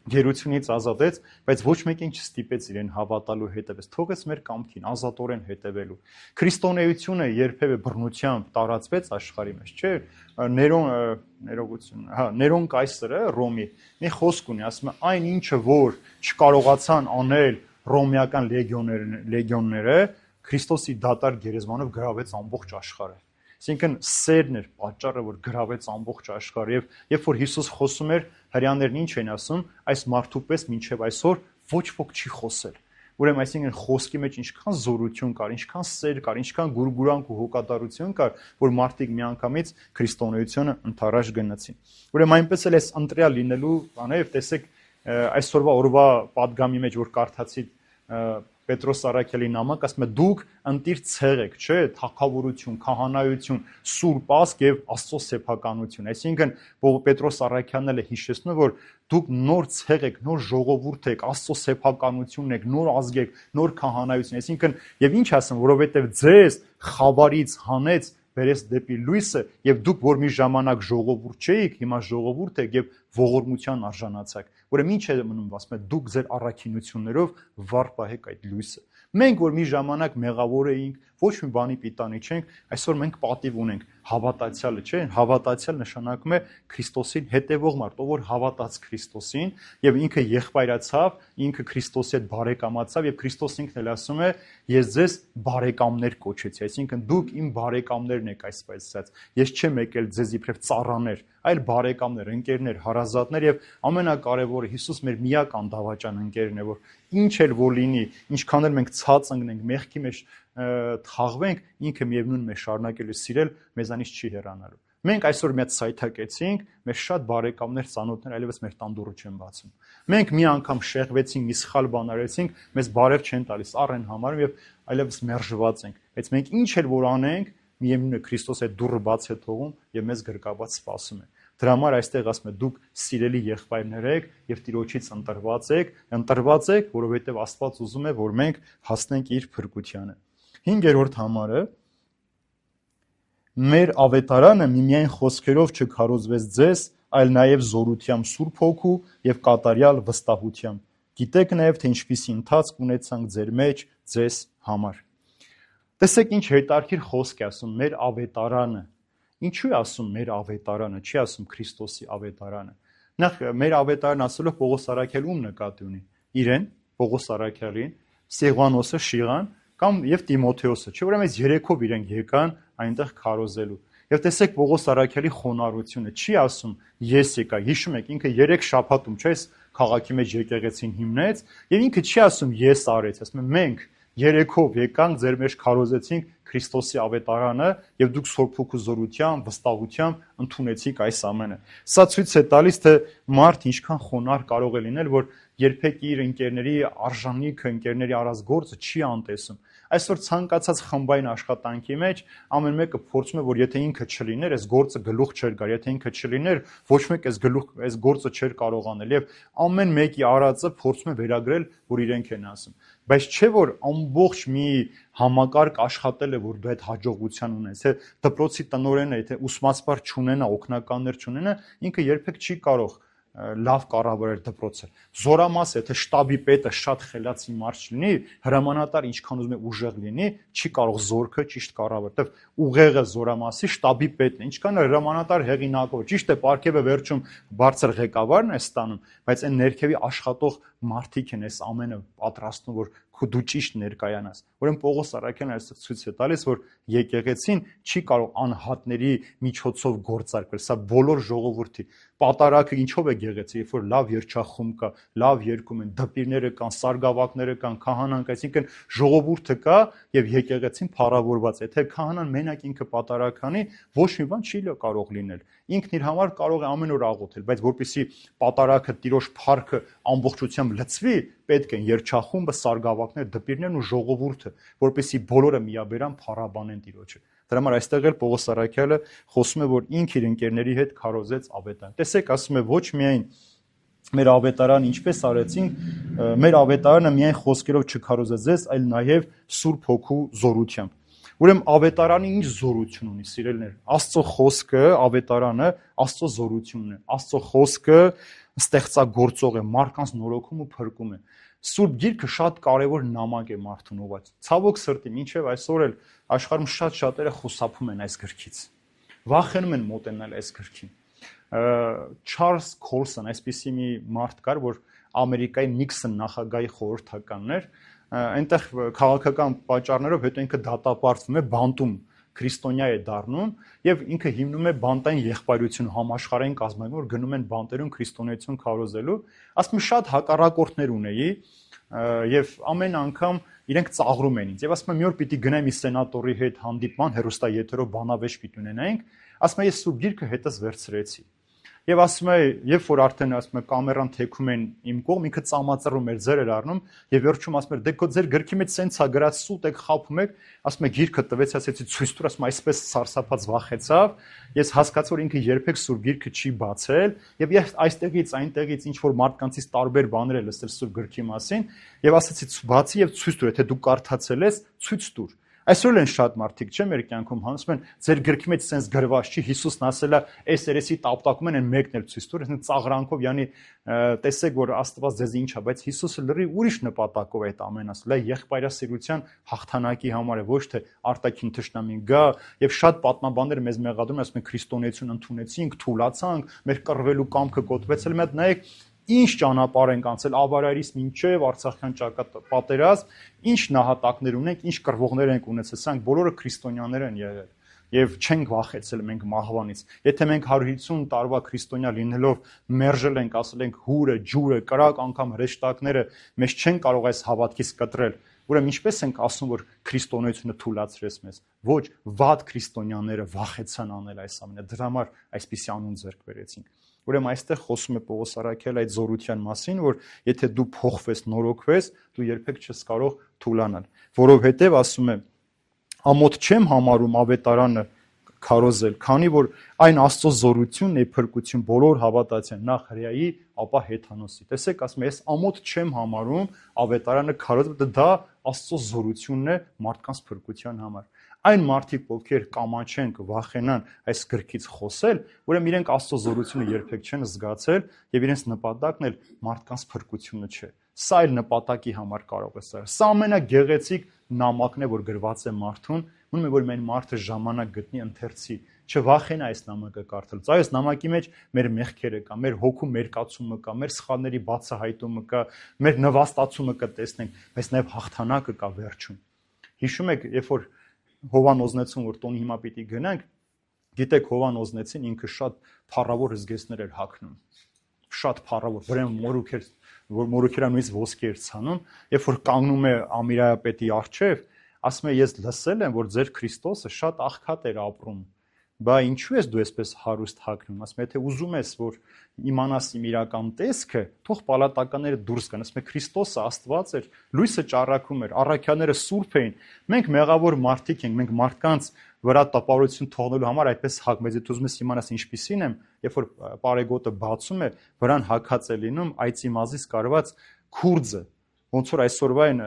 գերությունից ազատեց, բայց ոչ մեկին չստիպեց իրեն հավատալու հետևես, թողեց մեր կամքին, ազատորեն հետևելու։ Քրիստոնեությունը երբևէ բռնությամբ տարածվեց աշխարհի մեջ, չէ՞։ Ներոն ներողություն, հա, Ներոն կայսրը Ռոմի մի խոսք ունի, ասում է այն ինչը որ չկարողացան անել ռոմեական լեգիոներները, լեգիոնները Քրիստոսի դատար գերեզմանով գրավեց ամբողջ աշխարհը։ Այսինքն սերն էր պատճառը, որ գրավեց ամբողջ աշխարհը, եւ երբ որ Հիսուս խոսում էր, հрьяաներն ինչ են ասում, այս մարդու պես մինչև այսօր ոչ ոք չի խոսել։ Ուրեմն այսինքն խոսքի մեջ ինչքան զորություն կար, ինչքան սեր կար, ինչքան գուրգուրանք ու հոգատարություն կար, որ մարդիկ միանգամից քրիստոնեությունը ընթարաշ գնացին։ Ուրեմն այնպես էլ էս ընտրյալ լինելու բանը, եւ տեսեք այսօրվա օրվա падգամի մեջ որ կարդացի Պետրոս Արաքյալի նամակ, ասում է դուք ընտիր ցեղ եք, չէ՞, թագավորություն, քահանայություն, սուրբ ազգ եւ Աստծո սեփականություն։ Այսինքն Պետրոս Արաքյանն էլ է հիշեցնում, որ դուք նոր ցեղ եք, նոր ժողովուրդ եք, Աստծո սեփականությունն եք, նոր ազգ եք, նոր քահանայություն։ Այսինքն եւ ինչ ասեմ, որովհետեւ ձեզ խավարից հանեց վերես դեպի լույսը եւ դուք որ մի ժամանակ ժողովուրդ չէիք, հիմա ժողովուրդ եք եւ ողորմության արժանացաք։ Որը ինչ է մնում, ասում է դուք ձեր առաքինություններով վառ պահեք այդ լույսը։ Մենք որ մի ժամանակ մեղավոր էինք, ոչ մի բանի պիտանի չենք, այսօր մենք պատիվ ունենք հավատացյալը, չէ՞, հավատացյալ նշանակում է Քրիստոսին հետևող մարդ, ով որ հավատաց Քրիստոսին եւ ինքը եղբայրացավ, ինքը Քրիստոսի հետ բարեկամացավ եւ Քրիստոս ինքն էլ ասում է ես ձեզ բարեկամներ կոչեցի, այսինքն դուք իմ բարեկամներն եք այսպես ասած։ Ես չեմ եկել ձեզ իբրև ծառաներ, այլ բարեկամներ, ընկերներ, հարազատներ եւ ամենակարևորը Հիսուս մեր միական դավաճան ընկերն է, որ ինչ էլ որ լինի, ինչքան էլ մենք ցած ընկնենք, մեղքի մեջ թաղվենք, ինքը միևնույն մեր շարունակելու սիրել մեզանից չի հեռանալու։ Մենք այսօր մի հատ սայթակեցինք, մեր շատ բարեկամներ, ծանոթներ այլևս մեր տան դուռը չեն բացում։ Մենք մի անգամ շեղվեցինք, մի սխալ բան արեցինք, մեզ բարև չեն տալիս, առ են համարում եւ այլևս մերժված ենք։ Բայց մենք ինչ էլ որ անենք, միևնույն է Քրիստոս այդ դուռը բաց է թողում եւ մեզ գրկաբաց սպասում է։ Դրա համար այստեղ ասում է դուք սիրելի եղբայրներ եք եւ Տիրոջից ընտրված եք, ընտրված եք, որովհետեւ Աստված ուզում է, որ մենք հասնենք իր փրկությանը։ Հինգերորդ համարը մեր ավետարանը միմիայն խոսքերով չքարոզվեց ձեզ, այլ նաեւ զորությամբ Սուրբ Հոգու եւ կատարյալ վստահությամբ։ Գիտեք նաեւ թե ինչպիսի ընթացք ունեցանք ձեր մեջ ձեզ համար։ Տեսեք ինչ հետարքիր խոսք է ասում մեր ավետարանը։ Ինչու է ասում մեր ավետարանը, չի ասում Քրիստոսի ավետարանը։ Նախ մեր ավետարան ասելով Պողոս Արաքյալը ում նկատի ունի։ Իրեն, Պողոս Արաքյալին, Սեղվանոսը, Շիղան կամ եւ Տիմոթեոսը, չէ՞ որ այս երեքով իրենք եկան այնտեղ քարոզելու։ Եվ տեսեք Պողոս Արաքյալի խոնարհությունը, չի ասում ես եկա, հիշում եք ինքը երեք շաբաթում, չէ՞, քաղաքի մեջ եկեղեցին հիմնեց, եւ ինքը չի ասում ես արեց, ասում է մենք երեքով եկանք, ձեր մեջ քարոզեցինք Քրիստոսի ավետարանը եւ դուք Սուրբ Հոգու զորությամբ, վստահությամբ ընդունեցիք այս ամենը։ Սա ցույց է տալիս, թե մարդ ինչքան խոնարհ կարող է լինել, որ երբեք իր ընկերների արժանիքը, ընկերների արած գործը չի անտեսում։ Այսօր ցանկացած խմբային աշխատանքի մեջ ամեն մեկը փորձում է, որ եթե ինքը չլիներ, այս գործը գլուխ չէր գար, եթե ինքը չլիներ, ոչ մեկ այս գլուխ, այս գործը չէր կարող անել եւ ամեն մեկի արածը փորձում է վերագրել, որ իրենք են ասում։ Բայց չէ որ ամբողջ մի համակարգ աշխատել է, որ դու այդ հաջողության ունես, թե դպրոցի տնօրենը, եթե ուսմասվար չունենա, օգնականներ չունենա, ինքը երբեք չի կարող լավ կառավարել դպրոցը։ Զորամաս է, թե շտաբի պետը շատ խելացի մարդ լինի, հրամանատար ինչքան ուզում է ուժեղ լինի, չի կարող զորքը ճիշտ կառավարել։ Որտեվ ուղեղը զորամասի շտաբի պետն է, ինչքան հրամանատար հեղինակով։ Ճիշտ է, պարգևը վերջում բարձր ղեկավարն է ստանում, բայց այն ներքևի աշխատող մարդիկ են այս ամենը պատրաստում, որ դու ճիշտ ներկայանաս։ Ուրեմն Պողոս Արաքյալն այստեղ ցույց է տալիս, որ եկեղեցին չի կարող անհատների միջոցով գործարկվել, սա բոլոր ժողովրդի պատարակը ինչով է գեղեցիկ, երբ որ լավ երգչախումբ կա, լավ երգում են, դպիրները կան, սարգսակները կան, քահանան կա, այսինքն ժողովուրդը կա եւ եկեղեցին փառավորված է։ Եթե քահանան մենակ ինքը պատարականի, ոչ մի բան չի կարող լինել։ Ինքն իր համար կարող է ամեն օր աղոթել, բայց որպեսզի պատարակը Տիրոջ փառքը ամբողջությամբ լցվի, պետք են երգչախումբը, սարգսակները, դպիրներն ու ժողովուրդը, որպեսզի բոլորը միաբերան փառաբանեն Տիրոջը։ Դրա համար այստեղ էլ Պողոս Արաքյալը խոսում է, որ ինք իր ընկերների հետ քարոզեց ավետարան։ Տեսեք, ասում է ոչ միայն մեր ավետարանը ինչպես արեցինք, մեր ավետարանը միայն խոսքերով չքարոզեց ձեզ, այլ նաև Սուրբ Հոգու զորությամբ։ Ուրեմն ավետարանը ինչ զորություն ունի, սիրելիներ։ Աստծո խոսքը, ավետարանը Աստծո զորությունն է։ Աստծո խոսքը ստեղծագործող է, մարդկանց նորոգում ու փրկում է։ Սուրբ Գիրքը շատ կարևոր նամակ է մարդուն ուղղված։ Ցավոք սրտի, մինչև այսօր էլ աշխարհում շատ շատերը խուսափում են այս գրքից։ Վախենում են մոտենալ այս գրքին։ Չարլզ Քոլսոն, այսպիսի մի մարդ կար, որ Ամերիկայի Նիքսոն նախագահի խորհրդականն էր, այնտեղ քաղաքական պատճառներով հետո ինքը դատապարտվում է, բանտում քրիստոնյա է դառնում եւ ինքը հիմնում է բանտային եղբայրություն համաշխարհային կազմում, որ գնում են բանտերում քրիստոնեություն քարոզելու, ասում շատ հակառակորդներ ունեի եւ ամեն անգամ իրենք ծաղրում են ինձ եւ ասում եմ մի օր պիտի գնայ մի սենատորի հետ հանդիպման հերոստայեթերով բանավեճ պիտի ունենայինք, ասում եմ ես Սուրբ Գիրքը հետս վերցրեցի Եվ ասում է, երբ որ արդեն ասում է կամերան թեքում են իմ կողմ, ինքը ծամածռում էր, ձեր էր առնում, եւ վերջում ասում էր, դե քո ձեր գրքի մեջ սենց է գրած, սուտ եք խափում եք, ասում է գիրքը տվեց, ասեցի ցույց տուր, ասում այսպես սարսափած վախեցավ, ես հասկացա, որ ինքը երբեք սուր գիրքը չի բացել, եւ ես այստեղից, այնտեղից ինչ որ մարդկանցից տարբեր բաներ եմ լսել սուր գրքի մասին, եւ ասեցի բացի եւ ցույց տուր, եթե դու կարդացել ես, ցույց տուր։ Այսօր են շատ մարդիկ, չէ՞, մեր կյանքում հանձնում են, ձեր գրքի մեջ sense գրված չի, Հիսուսն ասել է, այս երեսի տապտակում են, այն մեկն էլ ցույց տուր, այսինքն ծաղրանքով, yani տեսեք, որ Աստված ձեզ ինչ է, բայց Հիսուսը լրի ուրիշ նպատակով այդ ամեն ասել է, եղբայրասիրության հաղթանակի համար է, ոչ թե արտաքին թշնամին գա, եւ շատ պատմաբաններ մեզ մեղադրում են, ասում են քրիստոնեություն ընդունեցինք, թուլացանք, մեր կռվելու կամքը կոտրվեց, էլ մի հատ նայեք ինչ ճանապարհ ենք անցել ավարարից մինչև Արցախյան ճակատապատերազմ, ինչ նահատակներ ունենք, ինչ կռվողներ ենք ունեցել, սրանք բոլորը քրիստոնյաներ են եղել եւ չենք վախեցել մենք մահվանից։ Եթե մենք հարյուր հիսուն տարվա քրիստոնյա լինելով մերժել ենք, ասել ենք հուրը, ջուրը, կրակ անգամ հրեշտակները, մեզ չեն կարող այս հավատքից կտրել, ուրեմն ինչպես ենք ասում, որ քրիստոնեությունը թուլացրեց մեզ։ Ոչ, վատ քրիստոնյաները վախեցան անել այս ամենը, դրա համար այսպիսի անուն ձեռք բերեցինք։ Ուրեմն այստեղ խոսում է Պողոս առաքյալը այդ զորության մասին, որ եթե դու փոխվես, նորոգվես, դու երբեք չես կարող թուլանալ, որովհետև ասում է ամոթ չեմ համարում ավետարանը քարոզել, քանի որ այն Աստծո զորությունն է փրկություն բոլոր հավատացյալ, նախ հրեայի, ապա հեթանոսի։ Տեսեք, ասում է, ես ամոթ չեմ համարում ավետարանը քարոզել, դա Աստծո զորությունն է մարդկանց փրկության համար։ Այն մարդիկ, ովքեր կամաչեն, վախենան այս գրքից խոսել, ուրեմն իրենք Աստծո զորությունը երբեք չեն զգացել եւ իրենց նպատակն էլ մարդկանց փրկությունը չէ։ Սա այլ նպատակի համար կարող է սա։ Սա ամենագեղեցիկ նամակն է, որ գրված է մարդուն, մնում է, որ մեն մարդը ժամանակ գտնի ընթերցի, չվախենա այս նամակը կարդալ։ Այս նամակի մեջ մեր մեղքերը կա, մեր հոգու մերկացումը կա, մեր սխալների բացահայտումը կա, մեր նվաստացումը կտեսնենք, բայց նաեւ հաղթանակը կա վերջում։ Հիշում եք, երբ որ Հովան Օզնեցուն, որ տոնի հիմա պիտի գնանք, գիտեք Հովան Օզնեցին ինքը շատ փառավոր հզգեցներ էր հագնում, շատ փառավոր, վրան մորուք էր, որ մորուքերա նույնիսկ ոսկի էր ցանում, երբ որ կանգնում է Ամիրայապետի առջև, ասում է ես լսել եմ, որ ձեր Քրիստոսը շատ աղքատ էր ապրում, բա ինչու ես դու այսպես հարուստ հագնում, ասում է եթե ուզում ես, որ իմանաս իմ իրական տեսքը, թող պալատականները դուրս գան, ասում է Քրիստոսը Աստված էր, լույսը ճառագում էր, առաքյալները սուրբ էին, մենք մեղավոր մարդիկ ենք, մենք մարդկանց վրա տպավորություն թողնելու համար այդպես հագում, եթե ուզում ես իմանաս ինչպիսին եմ, երբ որ պարեգոտը բացում է, վրան հագած է լինում այծի մազից կարված քուրձը, ոնց որ այսօրվա այն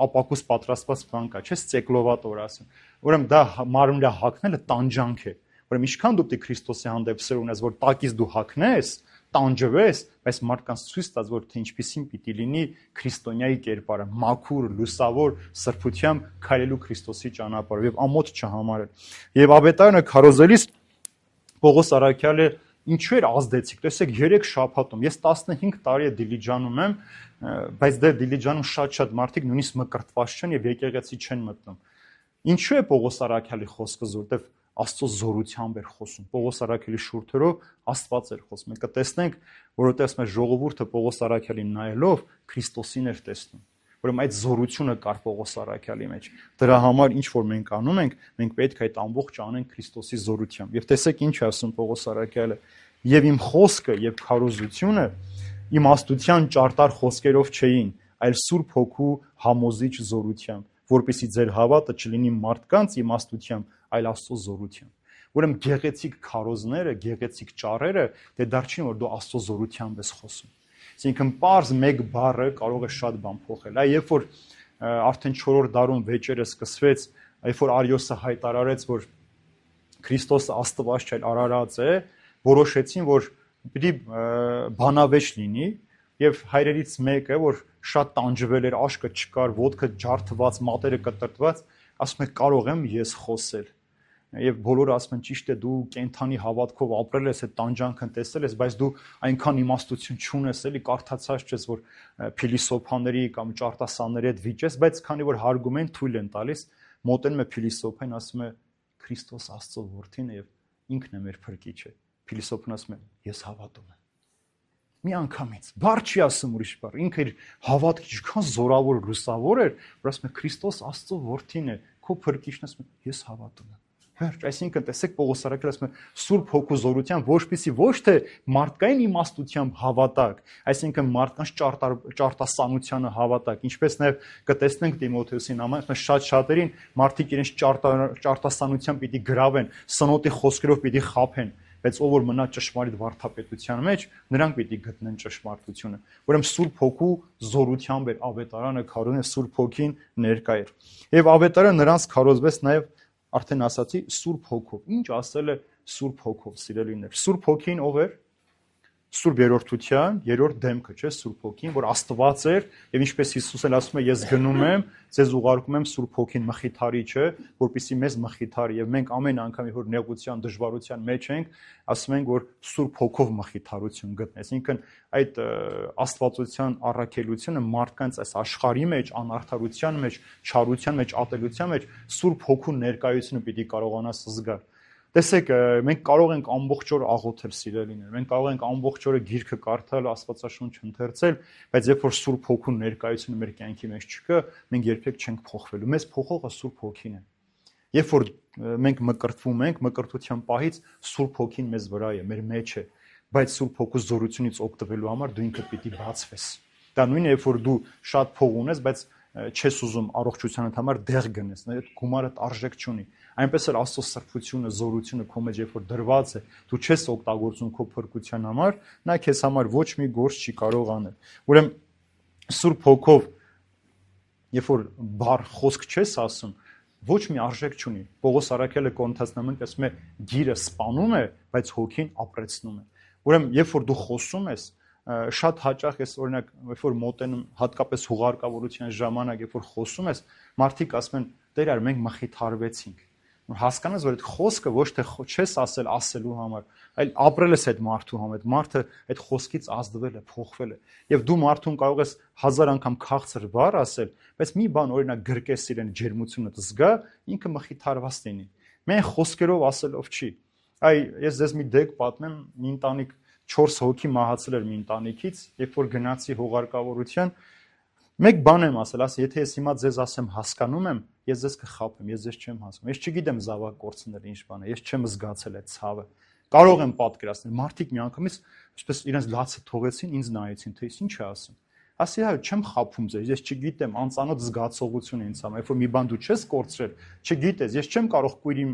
ապակուս պատրաստված բան կա, չէ՞, ստեկլովատոր ասում։ Ուրեմն դա մարմնի հագնելը տանջանք է։ Ուրեմն ինչքան դու պիտի Քրիստոսի հանդեպ սեր ունես, որ տակից դու հագնես, տանջվես, բայց մարդկանց ցույց տաս, որ թե ինչպիսին պիտի լինի քրիստոնյայի կերպարը, մաքուր, լուսավոր, սրբությամբ քայլելու Քրիստոսի ճանապարհով եւ ամոթ չհամարել։ Եվ ավետարանը քարոզելիս Պողոս առաքյալը ինչու էր ազդեցիկ, տեսեք երեք շաբաթում, ես տասնհինգ տարի է Դիլիջանում եմ, բայց դե Դիլիջանում շատ-շատ մարդիկ նույնիսկ մկրտված չեն եւ եկեղեցի չեն մտնում։ Ինչու է Պողոս առաքյալի խոսքը, որտեվ Աստծո զորությամբ էր խոսում։ Պողոս առաքյալի շուրթերով Աստված էր խոսում։ Մենք կտեսնենք, որովհետեւ ասում է ժողովուրդը Պողոս առաքյալին նայելով Քրիստոսին էր տեսնում։ Ուրեմն այդ զորությունը կար Պողոս առաքյալի մեջ։ Դրա համար ինչ որ մենք անում ենք, մենք պետք է այդ ամբողջը անենք Քրիստոսի զորությամբ։ Եվ տեսեք ինչ է ասում Պողոս առաքյալը. «Եվ իմ խոսքը եւ քարոզությունը իմաստության ճարտար խոսքերով չէին, այլ Սուրբ Հոգու համոզիչ զորությամբ, որպեսզի ձեր հավատը չլինի մարդկանց իմաստությամբ, այլ Աստծո զորությամբ»։ Ուրեմն գեղեցիկ քարոզները, գեղեցիկ ճառերը, դե դա չի որ դու Աստծո զորությամբ ես խոսում։ Այսինքն պարզ մեկ բառը կարող է շատ բան փոխել։ Այ երբ որ արդեն չորրորդ դարում վեճերը սկսվեց, երբ որ Արիոսը հայտարարեց, որ Քրիստոսը Աստված չէ, արարած է, որոշեցին, որ պիտի բանավեճ լինի, եւ հայրերից մեկը, որ շատ տանջվել էր, աշկը չկար, ոտքը ջարդված, մատերը կտրտված, ասում է կարող եմ ես խոսել։ Եվ բոլորը ասում են ճիշտ է, դու կենթանի հավատքով ապրել ես, այդ տանջանքն տեսել ես, բայց դու այնքան իմաստություն չունես, էլի կարդացած չես, որ փիլիսոփաների կամ ճարտասանների հետ վիճես, բայց քանի որ հարգում են, թույլ են տալիս, մոտենում է փիլիսոփային, ասում է Քրիստոս Աստծո որդին է եւ ինքն է մեր փրկիչը։ Փիլիսոփն ասում է ես հավատում եմ։ Մի անգամից, բառ չի ասում ուրիշ բառ, ինքը իր հավատքը ինչքան զորավոր լուսավոր էր, որ ասում է Քրիստոս Աստծո որդին է, քո փրկիչն ասում է ես հավատում եմ։ Վերջ, այսինքն տեսեք Պողոս Արաքելը ասում է Սուրբ Հոգու զորությամբ որպեսզի ոչ թե մարդկային իմաստությամբ հավատակ, այսինքն մարդկանց ճարտասանությանը հավատակ, ինչպես նաև կտեսնենք Տիմոթեոսի նամակում, շատ շատերին մարդիկ իրենց ճարտասանությամբ պիտի գրավեն, սնոտի խոսքերով պիտի խաբեն, բայց ով որ մնա ճշմարիտ վարդապետության մեջ, նրանք պիտի գտնեն ճշմարտությունը։ Ուրեմն Սուրբ Հոգու զորությամբ էր ավետարանը քարոզել, Սուրբ Հոգին ներկա էր։ Եվ ավետարանը նրանց քարոզվեց նաև արդեն ասացի Սուրբ Հոգով։ Ինչ ասել է Սուրբ Հոգով, սիրելիներ։ Սուրբ Հոգին ով էր։ Սուրբ երրորդության երրորդ դեմքը, չէ՞, Սուրբ Հոգին, որ Աստված էր, եւ ինչպես Հիսուսն ասում է, ես գնում եմ, ձեզ ուղարկում եմ Սուրբ Հոգին մխիթարիչը, որպեսզի մեզ մխիթարի, եւ մենք ամեն անգամ, որ նեղության, դժվարության մեջ ենք, ասում ենք, որ Սուրբ Հոգով մխիթարություն գտնես։ Այսինքն այդ աստվածության առաքելությունը մարդկանց այս աշխարհի մեջ, անարդարության մեջ, չարության մեջ, ատելության մեջ Սուրբ Հոգու ներկայությունը պիտի կարողանաս զգալ։ Տեսեք, մենք կարող ենք ամբողջ օր աղոթել, սիրելիներ, մենք կարող ենք ամբողջ օրը գիրքը կարդալ, Աստվածաշունչ ընթերցել, բայց երբ որ Սուրբ Հոգու ներկայությունը մեր կյանքի մեջ չկա, մենք երբեք չենք փոխվելու։ Մեզ փոխողը Սուրբ Հոգին է։ Երբ որ մենք մկրտվում ենք, մկրտության պահից Սուրբ Հոգին մեզ վրա է, մեր մեջ է, բայց Սուրբ Հոգու զորությունից օգտվելու համար դու ինքդ պիտի բացվես։ Դա նույնն է, երբ որ դու շատ փող ունես, բայց չես ուզում առողջությանդ համար դեղ գնես, այդ գումարը արժեք չունի։ Այնպես էլ Աստծո սրբությունը, զորությունը քո մեջ երբ որ դրված է, դու չես օգտագործում քո փրկության համար, նա քեզ համար ոչ մի գործ չի կարող անել։ Ուրեմն Սուրբ Հոգով երբ որ բառ խոսք չես ասում, ոչ մի արժեք չունի։ Պողոս Արաքելը Կորինթացիս նամակում ասում է՝ գիրը սպանում է, բայց հոգին ապրեցնում է։ Ուրեմն երբ որ դու խոսում ես, շատ հաճախ ես օրինակ, երբ որ մոտենում, հատկապես հուղարկավորության ժամանակ, երբ որ խոսում ես, մարդիկ ասում են՝ «Տեր արդ, մենք մխիթարվեցինք»։ Հասկանաս, որ այդ խոսքը ոչ թե չես ասել ասելու համար, այլ ապրել ես այդ մարդու համար, մարդը այդ խոսքից ազդվել է, փոխվել է։ Եվ դու մարդուն կարող ես հազար անգամ քաղցր բառ ասել, բայց մի բան օրինակ գրկես իրեն ջերմությունը զգա, ինքը մխիթարված լինի։ Միայն խոսքերով ասելով չի։ Այ ես ձեզ մի դեպք պատմեմ, մի ընտանիք չորս հոգի մահացել էր մի ընտանիքից, երբ որ գնացի հուղարկավորության, մեկ բան եմ ասել, ասել, եթե ես հիմա ձեզ ասեմ հասկանում եմ, ես ձեզ կխաբեմ, ես ձեզ չեմ հասկանում։ Ես չգիտեմ զավակ կորցնել ինչ բան է, ես չեմ զգացել այդ ցավը։ Կարող եմ պատկերացնել, մարդիկ միանգամից այսպես իրենց լացը թողեցին, ինձ նայեցին, թե ինչ է ասում։ Ասի, հա, չեմ խաբում ձեզ, ես չգիտեմ, անծանոթ զգացողություն է ինձ համար, երբ որ մի բան դու չես կորցրել, չգիտես, ես չեմ կարող քույրին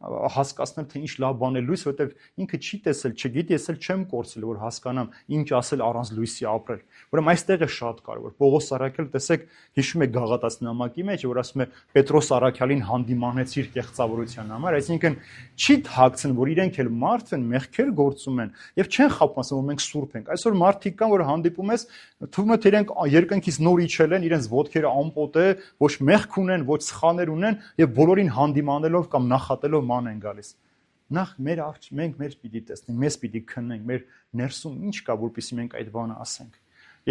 հասկացնել, թե ինչ լավ բան է լույս, որովհետև ինքը չի տեսել, չգիտի, ես էլ չեմ կորցրել, որ հասկանամ ինչ ասել առանց լույսի ապրել։ Ուրեմն այստեղ է շատ կարևոր։ Պողոս Արաքել, տեսեք, հիշում եք Գաղատացի նամակի մեջ, որ ասում է Պետրոս Արաքյալին հանդիմանեցիր կեղծավորության համար, այսինքն չի թաքցն, որ իրենք էլ մարդ են, մեղքեր գործում են եւ չեն խաբում, ասում որ մենք սուրբ ենք։ Այսօր մարդիկ կան, որ հանդիպում ես, թվում է թե իրենք երկնքից նոր իջել են, իրենց ոտքերը ամպոտ է, ոչ մեղք ունեն, ոչ սխալներ ունեն եւ բոլորին հանդիմանելով կամ նախատելով ման են գալիս։ Նախ մեր արջ մենք մեր պիտի տեսնենք, մեզ պիտի քննենք, մեր ներսում ինչ կա, որպեսզի մենք այդ բանը ասենք։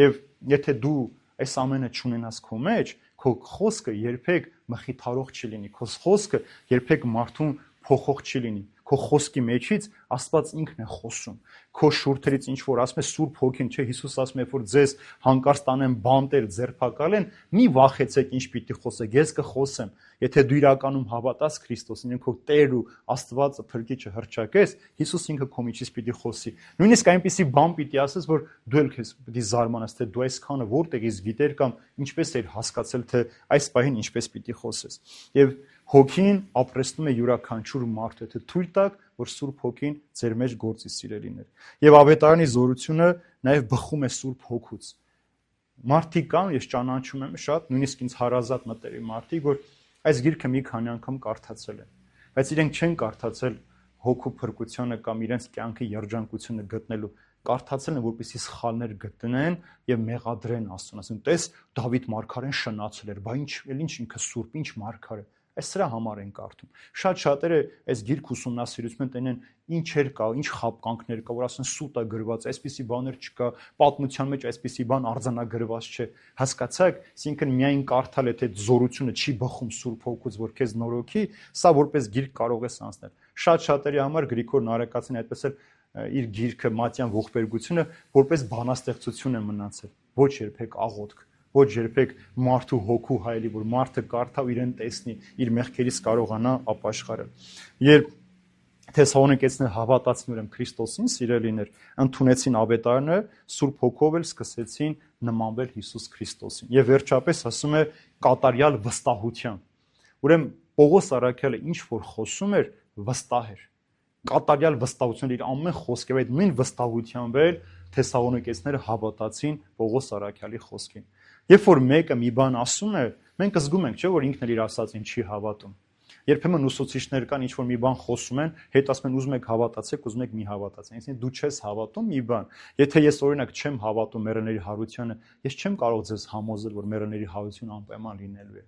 Եվ եթե դու այս ամենը չունենաս քո մեջ, քո խոսքը երբեք մխիթարող չի լինի, քո խոսքը երբեք մարդուն փոխող չի լինի։ Քո խոսքի մեջից Աստված ինքն է խոսում։ Քո շուրթերից ինչ որ ասում է Սուրբ Հոգին, չէ, Հիսուս ասում է, որ ձեզ հանկարծ տանեն բանտեր, ձերբակալեն, մի վախեցեք ինչ պիտի խոսեք, ես կխոսեմ։ Եթե դու իրականում հավատաս Քրիստոսին, քո Տեր ու Աստվածը փրկիչը հռչակես, Հիսուս ինքը քո միջից պիտի խոսի։ Նույնիսկ այնպիսի բան պիտի ասես, որ դու էլ քեզ պիտի զարմանաս, թե դու այսքանը որտեղից գիտեր կամ ինչպես էր հասկացել, թե այս պահին ինչպես պիտի խոսես։ Եվ Հոգին ապրեցնում է յուրաքանչյուր մարդ, եթե թույլ տաք, որ Սուրբ Հոգին ձեր մեջ գործի, սիրելիներ։ Եվ ավետարանի զորությունը նաև բխում է Սուրբ Հոգուց։ Մարդիկ կան, ես ճանաչում եմ շատ, նույնիսկ ինձ հարազատ մտերի մարդիկ, որ այս գիրքը մի քանի անգամ կարդացել են, բայց իրենք չեն կարդացել հոգու փրկությունը կամ իրենց կյանքի երջանկությունը գտնելու, կարդացել են, որպեսզի սխալներ գտնեն եւ մեղադրեն Աստծուն, ասեն, տես Դավիթ մարգարեն շնացել էր, բա ինչ, էլ ինչ ինքը սուրբ, ինչ մարգար է։ Այս սրա համար են կարդում։ Շատ շատերը այս գիրք ուսումնասիրում են, տենեն ինչեր կա, ինչ խապկանքներ կա, որ ասեն սուտ է գրված, այսպիսի բաներ չկա, պատմության մեջ այսպիսի բան արձանագրված չէ։ Հասկացաք, այսինքն միայն կարդալ, եթե զորությունը չի բխում Սուրբ Հոգուց, որ քեզ նորոգի, սա որպես գիրք կարող ես անցնել։ Շատ շատերի համար Գրիգոր Նարեկացին այդպես էլ իր գիրքը Մատյան ողբերգությունը որպես բանաստեղծություն է մնացել, ոչ երբեք աղոթք։ ոչ երբեք մարդու հոգու հայելի, որ մարդը կարդա ու իրեն տեսնի, իր մեղքերից կարողանա ապաշխարել։ Երբ Թեսաղոնիկեցիները հավատացին ուրեմն Քրիստոսին, սիրելիներ, ընդունեցին ավետարանը, Սուրբ Հոգով էլ սկսեցին նմանվել Հիսուս Քրիստոսին։ Եվ վերջապես ասում է կատարյալ վստահությամբ։ Ուրեմն Պողոս առաքյալը ինչ որ խոսում էր, վստահ էր։ Կատարյալ վստահություն իր ամեն խոսքով այդ նույն վստահությամբ էլ Թեսաղոնիկեցիները հավատացին Պողոս առաքյալի խոսքին։ Երբ որ մեկը մի բան ասում է, մենք զգում ենք, չէ՞ որ ինքն էլ իր ասածին չի հավատում։ Երբեմն ուսուցիչներ կան, ինչ որ մի բան խոսում են, հետ ասում են ուզում եք հավատացեք, ուզում եք մի հավատացեք։ Այսինքն դու չես հավատում մի բան։ Եթե ես օրինակ չեմ հավատում մեռելների հարությանը, ես չեմ կարող ձեզ համոզել, որ մեռելների հարություն անպայման լինելու է։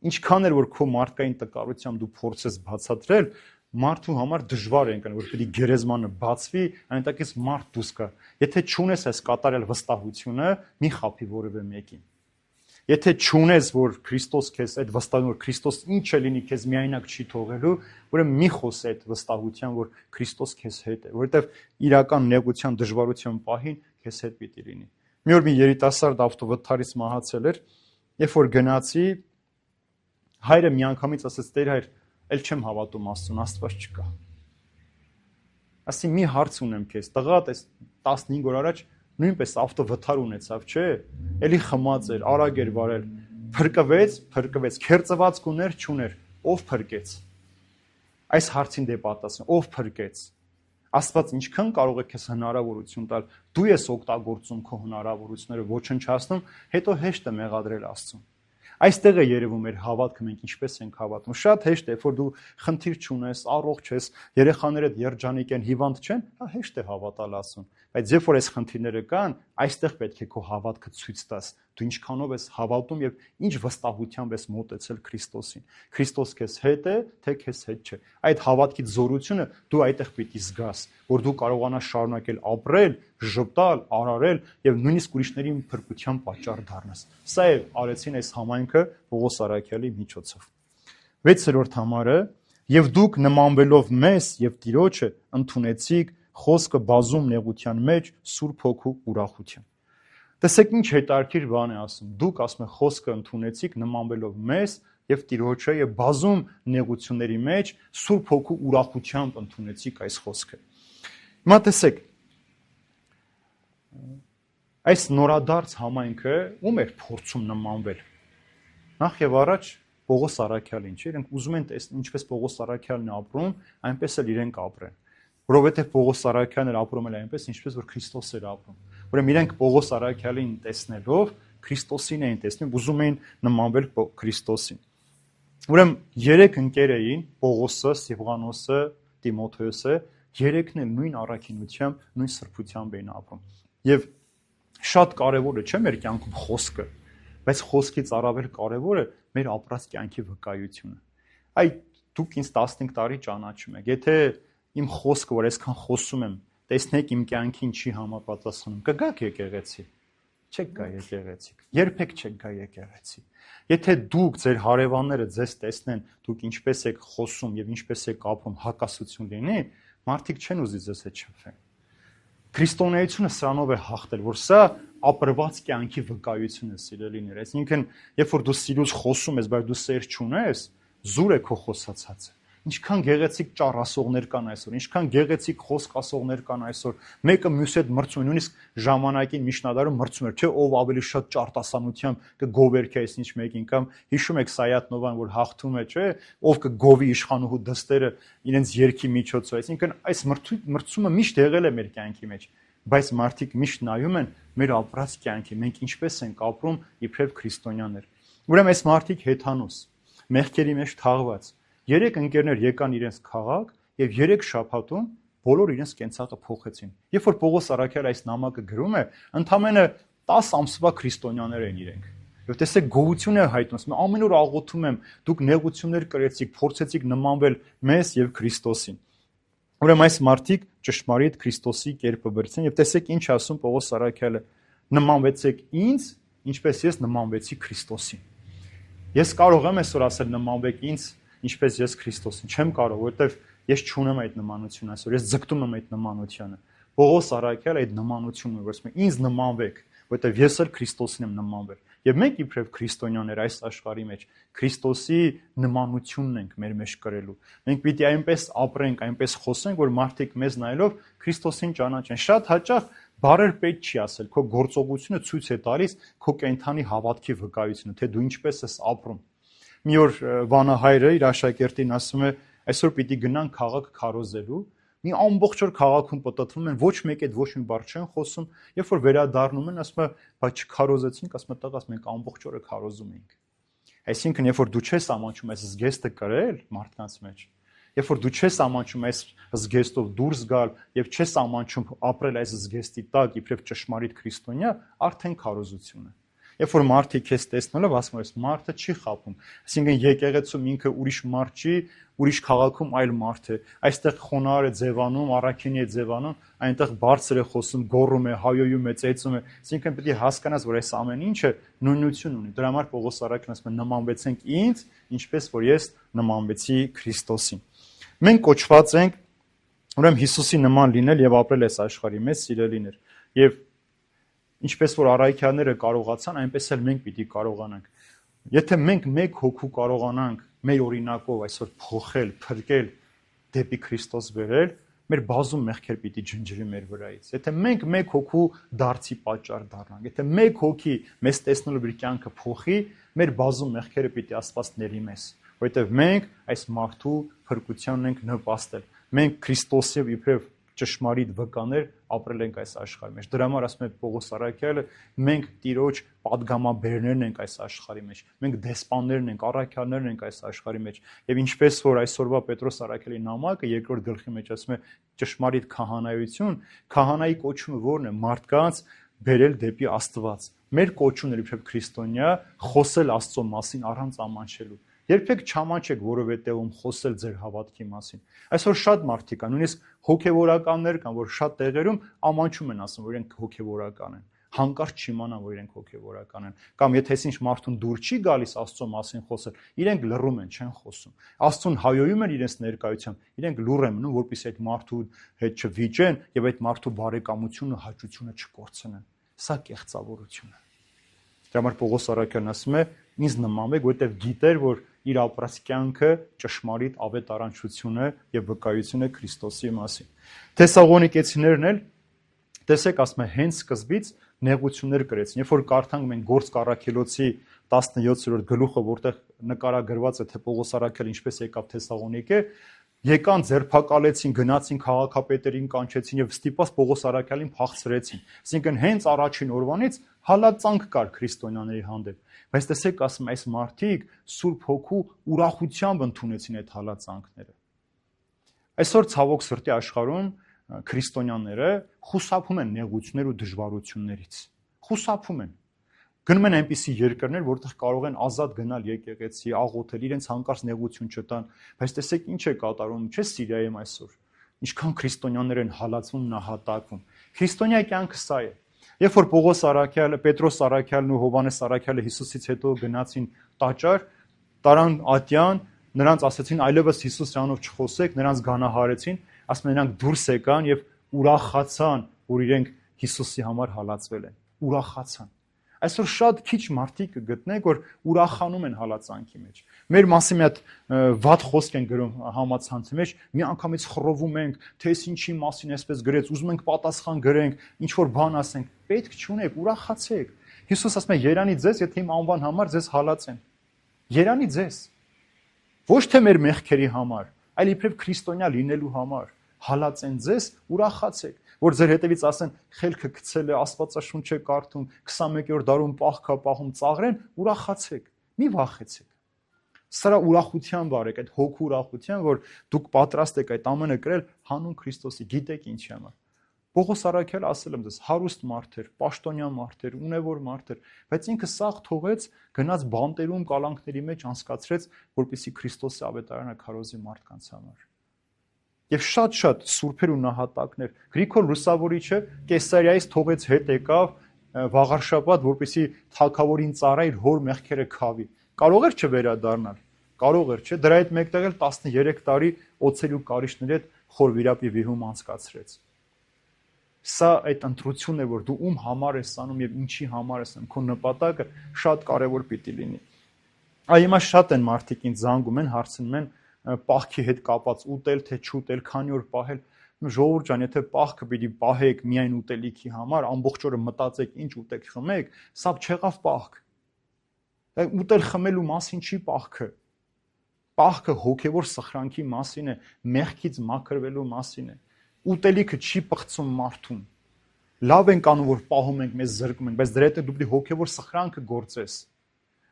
Ինչքան էլ որ քո մարդկային տկարությամբ դու փորձես բացատրել, մարդու համար դժվար է ընկնել, որ պիտի գերեզմանը բացվի, այնտեղից մարդ դուրս գա։ Եթե չունես այս կատարյալ վստահությունը, մի խաբի որևէ մեկին։ Եթե չունես, որ Քրիստոս քեզ այդ վստահություն, որ Քրիստոս ինչ է լինի, քեզ միայնակ չի թողելու, ուրեմն մի խոս այդ վստահության, որ Քրիստոս քեզ հետ է, որովհետև իրական նեղության, դժվարության պահին քեզ հետ պիտի լինի։ Մի օր մի երիտասարդ ավտովթարից մահացել էր, երբ որ գնացի, հայրը միանգամից ասաց՝ «Տեր հայր, ել չեմ հավատում Աստծուն, Աստված չկա»։ Ասի մի հարց ունեմ քեզ, տղադ այս տասնհինգ օր առաջ նույնպես ավտովթար ունեցավ, չէ՞։ Էլի խմած էր, արագ էր վարել, փրկվեց, փրկվեց, քերծվածք ուներ, չուներ, ով փրկեց։ Այս հարցին դե պատասխան, ով փրկեց։ Աստված ինչքան կարող է քեզ հնարավորություն տալ, դու ես օգտագործում քո հնարավորությունները, ոչնչացնում, հետո հեշտ է մեղադրել Աստծուն։ Այստեղ է երևում մեր հավատքը, մենք ինչպես ենք հավատում։ Շատ հեշտ է, որ դու խնդիր չունես, առողջ ես, երեխաներդ երջանիկ են, հիվանդ չեն, հա հեշտ է հավատալ Աստծուն։ Բայց երբ որ այս խնդիրները կան, այստեղ պետք է քո հավատքը ցույց տաս։ Դու ինչքանով ես հավատում եւ ինչ վստահությամբ ես մոտեցել Քրիստոսին։ Քրիստոս քեզ հետ է, թե քեզ հետ չէ։ Այդ հավատքի զորությունը դու այդտեղ պիտի զգաս, որ դու կարողանաս շարունակել ապրել, ժպտալ, արարել եւ նույնիսկ ուրիշներին փրկության պատճառ դառնաս։ Սա է արեցին այս համայնքը Պողոս առաքյալի միջոցով։ վեցերորդ համարը եւ դուք նմանվելով մեզ եւ Տիրոջը ընդունեցիք խոսքը բազում նեղության մեջ Սուրբ Հոգու ուրախությամբ։ Տեսեք ինչ հետարքիր բան է ասում։ Դուք ասում եք խոսքը ընդունեցիք նմանվելով մեզ եւ Տիրոջը եւ բազում նեղությունների մեջ Սուրբ Հոգու ուրախությամբ ընդունեցիք այս խոսքը։ Հիմա տեսեք, այս նորադարձ համայնքը ում էր փորձում նմանվել։ Նախ եւ առաջ Պողոս առաքյալին, չէ՞, իրենք ուզում են տեսնել ինչպես Պողոս առաքյալն է ապրում, այնպես էլ իրենք ապրեն։ Որովհետև Պողոս առաքյալն էր ապրում էլ այնպես, ինչպես որ Քրիստոս էր ապրում։ Ուրեմն իրենք Պողոս առաքյալին տեսնելով Քրիստոսին էին տեսնում, ուզում էին նմանվել Քրիստոսին։ Ուրեմն երեք ընկեր էին՝ Պողոսը, Սիվղանոսը, Տիմոթեոսը, երեքն էլ նույն առաքինությամբ, նույն սրբությամբ էին ապրում։ Եվ շատ կարևոր է, չէ՞ մեր կյանքում խոսքը, բայց խոսքից առավել կարևորը մեր ապրած կյանքի վկայությունը։ Այ դուք ինձ տասնհինգ տարի ճանաչում եք։ Եթե իմ խոսքը, որ այսքան խոսում եմ, տեսնեք իմ կյանքին չի համապատասխանում, կգաք եկեղեցի։ Չեք գա եկեղեցի։ Երբեք չեք գա եկեղեցի։ Եթե դուք ձեր հարևանները ձեզ տեսնեն, դուք ինչպես եք խոսում եւ ինչպես եք ապրում, հակասություն լինի, մարդիկ չեն ուզի ձեզ հետ շփվեն։ Քրիստոնեությունը սրանով է հաղթել, որ սա ապրված կյանքի վկայություն է, սիրելիներ։ Այսինքն, երբ որ դու սիրուց խոսում ես, բայց դու սեր չունես, զուր է քո խոսացածը։ Ինչքան գեղեցիկ ճառ ասողներ կան այսօր, ինչքան գեղեցիկ խոսք ասողներ կան այսօր։ Մեկը մյուսի հետ մրցում է, նույնիսկ ժամանակին միջնադարում մրցում էր, չէ՞, ով ավելի շատ ճարտասանությամբ կգովերքի այսինչ մեկին, կամ հիշում եք Սայատնովան, որ հաղթում է, չէ՞, ով կգովի իշխանուհու դստերը իրենց երգի միջոցով։ Այսինքն այս մրցումը միշտ եղել է մեր կյանքի մեջ, բայց մարդիկ միշտ նայում են մեր ապրած կյանքի, մենք ինչպես ենք ապրում իբրև քրիստոնյաներ։ Ուրեմն այս մարդիկ հեթանոս, մեղքերի մեջ թաղված, երեք ընկերներ եկան իրենց քաղաք եւ երեք շաբաթում բոլոր իրենց կենցաղը փոխեցին։ Երբ որ Պողոս առաքյալը այս նամակը գրում է, ընդամենը տասը ամսվա քրիստոնյաներ են իրենք։ Եվ տեսեք գոհություն է հայտնում, ամեն օր աղոթում եմ, դուք նեղություններ կրեցիք, փորձեցիք նմանվել մեզ եւ Քրիստոսին։ Ուրեմն այս մարդիկ ճշմարիտ Քրիստոսի կերպը բերեցին եւ տեսեք ինչ ասում Պողոս առաքյալը. նմանվեցեք ինձ, ինչպես ես նմանվեցի Քրիստոսին։ Ես կարող եմ այսօր ասել նմանվեք ինձ, ինչպես ես Քրիստոսին, չեմ կարող, որովհետև ես չունեմ այդ նմանությունը այսօր, ես ձգտում եմ այդ նմանությանը։ Պողոս առաքյալը այդ նմանությունը ասում է, ինձ նմանվեք, որովհետև ես էլ Քրիստոսին եմ նմանվել։ Եվ մենք իբրև քրիստոնյաներ այս աշխարհի մեջ Քրիստոսի նմանությունն ենք մեր մեջ կրելու։ Մենք պիտի այնպես ապրենք, այնպես խոսենք, որ մարդիկ մեզ նայելով Քրիստոսին ճանաչեն։ Շատ հաճախ բառեր պետք չի ասել, քո գործողությունը ցույց է տալիս քո կենթանի հավատքի վկայությունը, թե դու ինչպես ես ապրում։ Մի օր վանահայրը իր աշակերտին ասում է, այսօր պիտի գնանք քաղաք քարոզելու։ Մի ամբողջ օր քաղաքում պատտվում են, ոչ մեկ այդ ոչ մի բառ չեն խոսում, երբ որ վերադառնում են, ասում է, բայց չքարոզեցինք, ասում է, տղաս մենք ամբողջ օրը քարոզում էինք։ Այսինքն, երբ որ դու չես ամաչում այս զգեստը կրել մարդկանց մեջ, երբ որ դու չես ամաչում այս զգեստով դուրս գալ եւ չես ամաչում ապրել այս զգեստի տակ, իբրև ճշմարիտ քրիստոնյա, արդեն քարոզություն է։ Երբ որ մարդիկ քեզ տեսնելով ասում են, այս մարդը չի խաբում, այսինքն եկեղեցում ինքը ուրիշ մարդ չի, ուրիշ քաղաքում այլ մարդ է, այստեղ խոնարհ է ձևանում, առաքինի է ձևանում, այնտեղ բարձր է խոսում, գոռում է, հայոյում է, ծեծում է, այսինքն պետք է հասկանաս, որ այս ամեն ինչը նույնություն ունի։ Դրա համար Պողոս առաքյալն ասում է, նմանվեցենք ինձ, ինչպես որ ես նմանվեցի Քրիստոսին։ Մենք կոչված ենք ուրեմն Հիսուսի նման լինել եւ ապրել այս աշխարհի մեջ, սիրելիներ։ Եվ ինչպես որ առաքյալները կարողացան, այնպես էլ մենք պիտի կարողանանք։ Եթե մենք մեկ հոգու կարողանանք մեր օրինակով այսօր փոխել, փրկել, դեպի Քրիստոս բերել, մեր բազում մեղքեր պիտի ջնջրի մեր վրայից։ Եթե մենք մեկ հոգու դարձի պատճառ դառնանք, եթե մեկ հոգի մեզ տեսնելով իր կյանքը փոխի, մեր բազում մեղքերը պիտի Աստված ների մեզ, որովհետև մենք այս մարդու փրկությանն ենք նպաստել։ Մենք Քրիստոսով իբրև ճշմարիտ վկաներ ապրել ենք այս աշխարհի մեջ։ Դրա համար ասում է Պողոս առաքյալը, մենք Տիրոջ պատգամաբերներն ենք այս աշխարհի մեջ։ Մենք դեսպաններն ենք, առաքյալներն ենք այս աշխարհի մեջ։ Եվ ինչպես որ այսօրվա Պետրոս առաքյալի նամակը երկրորդ գլխի մեջ ասում է ճշմարիտ քահանայություն, քահանայի կոչումը ո՞րն է։ Մարդկանց բերել դեպի Աստված։ Մեր կոչումն է իբրև քրիստոնյա խոսել Աստծո մասին առանց ամանչելու։ Երբեք չամանչեք որևէ տեղում խոսել ձեր հավատքի մասին։ Այսօր շատ մարդիկ կան, նույնիսկ հոգևորականներ կան, որ շատ տեղերում ամանչում են ասում, որ իրենք հոգևորական են։ Հանկարծ չիմանան, որ իրենք հոգևորական են։ Կամ եթե այսինչ մարդուն դուր չի գալիս Աստծո մասին խոսել, իրենք լռում են, չեն խոսում։ Աստծուն հայոյում են իրենց ներկայությամբ, իրենք լուռ են մնում, որպեսզի այդ մարդու հետ չվիճեն եւ այդ մարդու բարեկամությունը, հաճությունը չկորցնեն։ Սա կեղծավորություն է։ Դրա համար Պողոս առաքյալն ասում է, ինձ նմանվեք, որովհետև գիտեր, որ իր ապրած կյանքը ճշմարիտ ավետարանչություն է եւ վկայություն է Քրիստոսի մասին։ Թեսաղոնիկեցիներն էլ տեսեք, ասում է, հենց սկզբից նեղություններ կրեցին։ Երբ որ կարդանք մենք Գործք առաքելոցի տասնյոթերորդ գլուխը, որտեղ նկարագրված է, թե Պողոս առաքյալը ինչպես եկավ Թեսաղոնիկե, եկան, ձերբակալեցին, գնացին քաղաքապետերին կանչեցին եւ ստիպված Պողոս առաքյալին փախցրեցին։ Այսինքն հենց առաջին օրվանից հալածանք կար քրիստոնյաների հանդեպ։ Բայց տեսեք, ասում այս մարդիկ Սուրբ Հոգու ուրախությամբ ընդունեցին այդ հալածանքները։ Այսօր ցավոք սրտի աշխարհում քրիստոնյաները խուսափում են նեղություններ ու դժվարություններից։ Խուսափում են։ Գնում են այնպիսի երկրներ, որտեղ կարող են ազատ գնալ եկեղեցի, աղոթել, իրենց հանկարծ նեղություն չտան, բայց տեսեք ինչ է կատարում, չէ՞ Սիրիայում այսօր։ Ինչքան քրիստոնյաներ են հալածվում, նահատակվում։ Քրիստոնյա կյանքը սա է։ Երբ որ Պողոս առաքյալը, Պետրոս առաքյալն ու Հովհաննես առաքյալը Հիսուսից հետո գնացին տաճար, տարան ատյան, նրանց ասեցին այլևս Հիսուսյանով չխոսեք, նրանց գանահարեցին, ասում են նրանք դուրս եկան եւ ուրախացան, որ իրենք Հիսուսի համար հալածվել են։ Ուրախացան։ Այսօր շատ քիչ մարդիկ կգտնեք, որ ուրախանում են հալածանքի մեջ։ Մեր մասի մի հատ վատ խոսք են գրում համացանցի մեջ, մի անգամից խռովում ենք, թե ես ինչի մասին էսպես գրեց, ուզում ենք պատասխան գրենք, ինչ որ բան ասենք, պետք չունեք, ուրախացեք։ Հիսուս ասում է, երանի ձեզ, եթե իմ անվան համար ձեզ հալածեն։ Երանի ձեզ։ Ոչ թե մեր մեղքերի համար, այլ իբրև քրիստոնյա լինելու համար։ Հալածեն ձեզ, ուրախացեք, որ ձեր հետևից ասեն խելքը գցել է, Աստվածաշունչ է կարդում, քսանմեկերորդ դարում պահքա պահում ծաղրեն, ուրախացեք, մի վախեցեք։ Սրա ուրախության բարեք, այդ հոգու ուրախության, որ դուք պատրաստ եք այդ ամենը կրել հանուն Քրիստոսի, գիտեք ինչի համար։ Պողոս առաքյալը ասել եմ ձեզ, հարուստ մարդ էր, պաշտոնյա մարդ էր, ունևոր մարդ էր, բայց ինքը սաղ թողեց, գնաց բանտերում, կալանքների մեջ անցկացրեց, որպեսզի Քրիստոսի ավետարանը քարոզի մարդկանց համար։ Եվ շատ-շատ սուրբեր ու նահատակներ։ Գրիգոր Լուսավորիչը Կեսարիայից թողեց հետ եկավ վաղարշաբաթ, որպեսզի թագավորին ծառա իր հոր մեղքերը քավի։ Կարող էր չվերադառնալ։ Կարող էր, չէ՞։ Դրա հետ մեկտեղ էլ տասներեք տարի օծելու կարիճների հետ խոր վիրապի վիհում անցկացրեց։ Սա այդ ընտրությունն է, որ դու ում համար ես անում եւ ինչի համար ես անում, քո նպատակը շատ կարեւոր պիտի լինի։ Այ հիմա շատ են մարդիկ ինձ զանգում են, հարցնում են պահքի հետ կապած ուտել թե չուտել, քանի օր պահել։ Ժողովուրդ ջան, եթե պահքը պիտի պահեք միայն ուտելիքի համար, ամբողջ օրը մտածեք ինչ ուտեք խմեք, սա չեղավ պահք։ Ուտել խմելու մասին չի պահքը։ Պահքը հոգևոր սխրանքի մասին է, մեղքից մաքրվելու մասին է։ Ուտելիքը չի պղծում մարդուն։ Լավ ենք անում, որ պահում ենք, մեզ զրկում ենք, բայց դրա հետ դու պիտի հոգևոր սխրանքը գործես։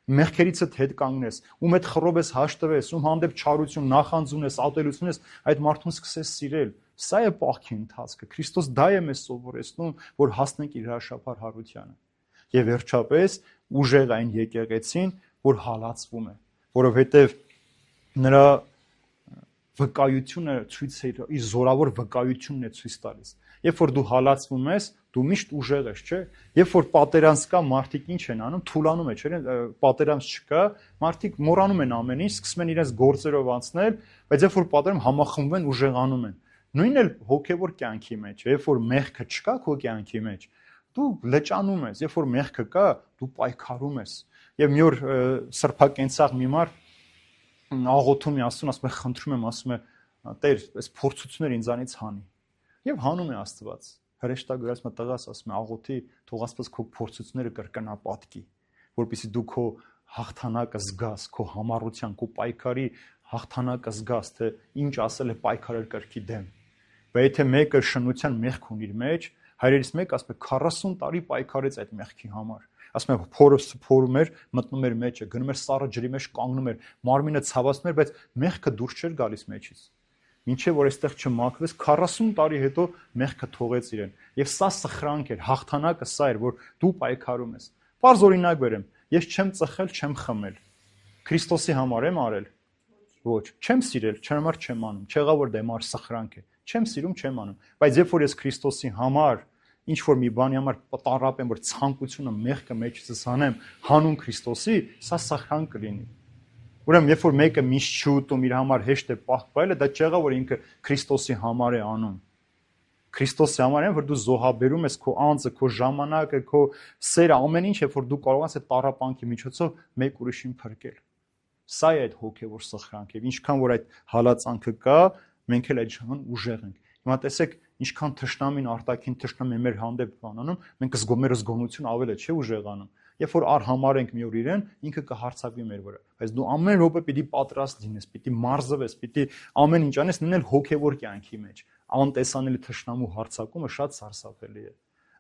Մեղքերիցդ հետ կանգնես, ում հետ խռով ես հաշտվես, ում հանդեպ չարություն, նախանձ ունես, ատելություն ես, այդ մարդուն սկսես սիրել։ Սա է պահքի ընթացքը։ Քրիստոս դա է մեզ սովորեցնում, որ հասնենք իր հրաշափառ հարությանը։ Եվ վերջապես ուժեղ այն եկեղեցին, որ հալածվում է, որովհետև նրա վկայությունը ցույց է, իր զորավոր վկայությունն է ցույց տալիս։ Երբ որ դու հալածվում ես, դու միշտ ուժեղ ես, չէ՞։ Երբ որ պատերազմ կա, մարդիկ ինչ են անում, թուլանում է, չէ՞։ Պատերազմ չկա, մարդիկ մոռանում են ամեն ինչ, սկսում են իրենց գործերով անցնել, բայց երբ որ պատերազմ համախմբվում են, ուժեղանում են։ Նույնն էլ հոգևոր կյանքի մեջ, երբ որ մեղքը չկա քո կյանքի մեջ, դու լճանում ես, երբ որ մեղքը կա, դու պայքարում ես։ Եվ մի օր սրբակենցաղ մի մարդ աղոթում է, ասում, ասում է, խնդրում եմ, ասում է, Տեր, այս փորձությունները ինձանից հանի։ Եվ հանում է Աստված։ Հրեշտակը ասում է, տղաս, ասում է, աղոթի, թող Աստված քո փորձությունները կրկնապատկի, որպեսզի դու քո հաղթանակը զգաս, քո համառության, քո պայքարի հաղթանակը զգաս, թե ինչ ասել է պայքարել կրքի դեմ։ Բայց եթե մեկը շնության մեղք ունի իր մեջ, հայրերից մեկը ասում է քառասուն տարի պայքարեց այդ մեղքի համար։ Ասում է փորը փորում էր, մտնում էր մեջը, գնում էր սառը ջրի մեջ, կանգնում էր, մարմինը ցավացնում էր, բայց մեղքը դուրս չէր գալիս մեջից։ Մինչև որ այստեղ չմաքվես, քառասուն տարի հետո մեղքը թողեց իրեն։ Եվ սա սխրանք էր, հաղթանակը սա էր, որ դու պայքարում ես։ Պարզ օրինակ բերեմ, ես չեմ ծխել, չեմ խմել։ Քրիստոսի համար եմ արել։ Ոչ, չեմ սիրել, չեմ համար չեմ անում։ Չեղա որ դա մար սխրանք է։ Չեմ սիրում, չեմ անում։ Բայց երբ որ ես Քրիստոսի համար ինչ որ մի բանի համար պտարապեմ, որ ցանկությունը մեղքը մեջից անեմ, հանուն Քրիստոսի, սա սխրանք կլինի։ Ուրեմն երբ որ մեկը միշտ չուտում իր համար հեշտ է պահպայելը, դա չեղա որ ինքը Քրիստոսի համար է անում։ Քրիստոսի համար է, որ դու զոհաբերում ես քո անձը, քո ժամանակը, քո սերը, ամեն ինչ, երբ որ դու կարող ես այդ տառապանքի միջոցով մեկ ուրիշին փրկել։ Սա է այդ հոգևոր սխրանքը։ Ինչքան որ այդ հալածանքը կա, մենք էլ այդ ժամանակ ուժեղ ենք։ Հիմա տեսեք, ինչքան թշնամին արտաքին թշնամի մեր հանդեպ բանանում, մենք զգոմ մեր զգոնություն ավել է, չէ՞ ուժեղանում։ Երբ որ արհամարենք մի օր իրեն, ինքը կհարցակվի մեր վրա։ Բայց դու ամեն րոպե պիտի պատրաստ լինես, պիտի մարզվես, պիտի ամեն ինչ անես, նույնն էլ հոգևոր կյանքի մեջ։ Անտեսանելի թշնամու հարձակումը շատ սարսափելի է։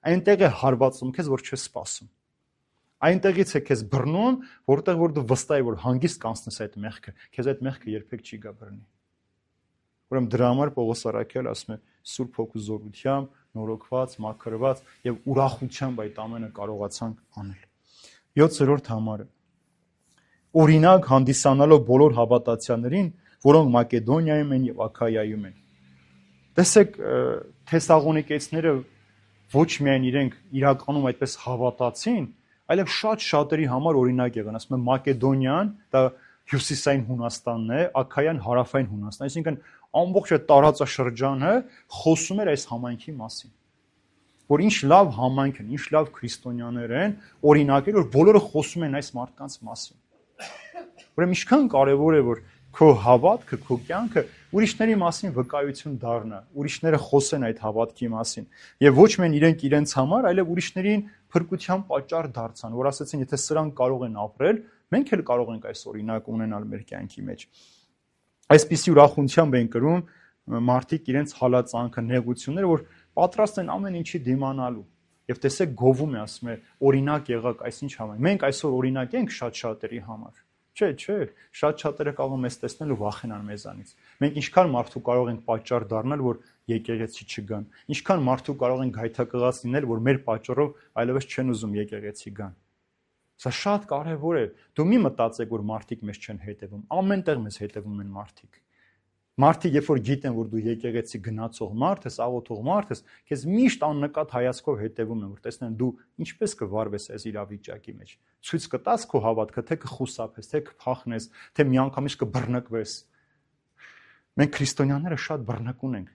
Այնտեղ է հարվածում քեզ, որ չես սպասում։ Այնտեղից է քեզ բռնում, որտեղ որ դու վստահ ես, որ հանգիստ կանցնես այդ մեղքը, քեզ այդ մեղքը երբեք չի գա բռնի։ Ուրեմն դրա համար Պողոս առաքյալը ասում է Սուրբ Հոգու զորությամբ, նորոգված, մաքրված եւ ուրախությամբ այդ ամենը կարողացանք անել։ յոթերորդ համարը։ Օրինակ հանդիսանալով բոլոր հավատացյալներին, որոնք Մակեդոնիայում են եւ Աքայայում են։ Տեսեք, Թեսաղոնիկեցիները ոչ միայն իրենք իրականում այդպես հավատացին, այլև շատ շատերի համար օրինակ եղան, ասում եմ Մակեդոնիան, դա հյուսիսային Հունաստանն է, Աքայան հարավային Հունաստան, այսինքն ամբողջ այդ տարածաշրջանը խոսում էր այս համայնքի մասին, որ ինչ լավ համայնք են, ինչ լավ քրիստոնյաներ են, օրինակ էր, որ բոլորը խոսում են այս մարդկանց մասին։ Ուրեմն ինչքան կարևոր է, որ քո հավատքը, քո կյանքը ուրիշների մասին վկայություն դառնա, ուրիշները խոսեն այդ հավատքի մասին, եւ ոչ միայն իրենք իրենց համար, այլև ուրիշներին փրկության պատճառ դարձան, որ ասացին, եթե սրանք կարող են ապրել, մենք էլ կարող ենք այս օրինակ ունենալ մեր կյանքի մեջ։ Այսպիսի ուրախությամբ են կրում մարդիկ իրենց հալածանքը, նեղությունները, որ պատրաստ են ամեն ինչի դիմանալու։ Եվ տեսեք գովում է, ասում է, օրինակ եղակ այսինչ համար։ Մենք այսօր օրինակ ենք շատ շատերի համար։ Չէ, չէ, շատ շատերը կարող են մեզ տեսնել ու վախենան մեզանից։ Մենք ինչքան մարդու կարող ենք պատճառ դառնալ, որ եկեղեցի չգան։ Ինչքան մարդու կարող են գայթակղած լինել, որ մեր պատճառով այլևս չեն ուզում եկեղեցի գան։ Սա շատ կարևոր է։ Դու մի մտածեք, որ մարդիկ մեզ չեն հետևում։ Ամենտեղ մեզ հետևում են մարդիկ։ Մարդիկ, երբ որ գիտեն, որ դու եկեղեցի գնացող մարդ ես, աղոթող մարդ ես, քեզ միշտ աննկատ հայացքով հետևում են, որ տեսնեն դու ինչպես կվարվես այս իրավիճակի մեջ։ Ցույց կտաս քո հավատքը, թե կխուսափես, թե կփախնես, թե միանգամից կբռնկվես։ Մենք քրիստոնյաները շատ բռնկուն ենք։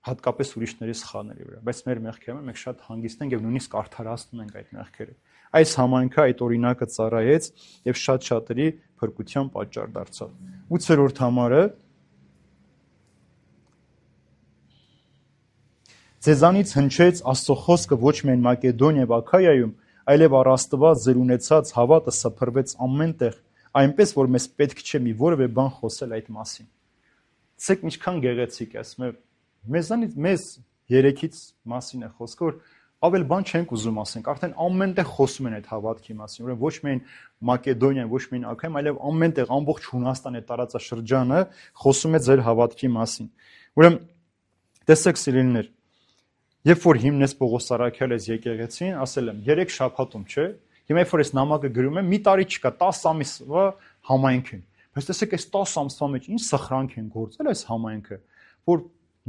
հատկապես ուրիշների սխալների վրա, բայց մեր մեղքերը մենք շատ հանգիստ ենք եւ նույնիսկ արդարացնում ենք այդ մեղքերը։ Այս համայնքը այդ օրինակը ծառայեց եւ շատ շատերի փրկության պատճառ դարձավ։ ութերորդ համարը Ձեզանից հնչեց Աստծո խոսքը ոչ միայն Մակեդոնիա եւ Աքայայում, այլև առ Աստված ձեր ունեցած հավատը սփռվեց ամենտեղ, այնպես որ մեզ պետք չէ մի որևէ բան խոսել այդ մասին։ Ցեք ինչքան գեղեցիկ է, ասում է, մեզանից մեզ երեքից մասին է խոսքը, որ ավել բան չենք ուզում ասենք, արդեն ամենտեղ խոսում են այդ հավատքի մասին, ուրեմն ոչ միայն Մակեդոնիան, ոչ միայն Աքայում, այլև ամենտեղ ամբողջ Հունաստան է տարածաշրջանը խոսում է ձեր հավատքի մասին։ Ուրեմն տեսեք սիրելիներ, երբ որ հիմնեց Պողոս Արաքելես եկեղեցին, ասել եմ երեք շաբաթում, չէ՞։ Հիմա երբ որ այս նամակը գրում եմ, մի տարի չկա, տասը ամիսվա համայնք են։ Բայց տեսեք, այս տասը ամսվա մեջ ինչ սխրանք են գործել այս համայնքը, որ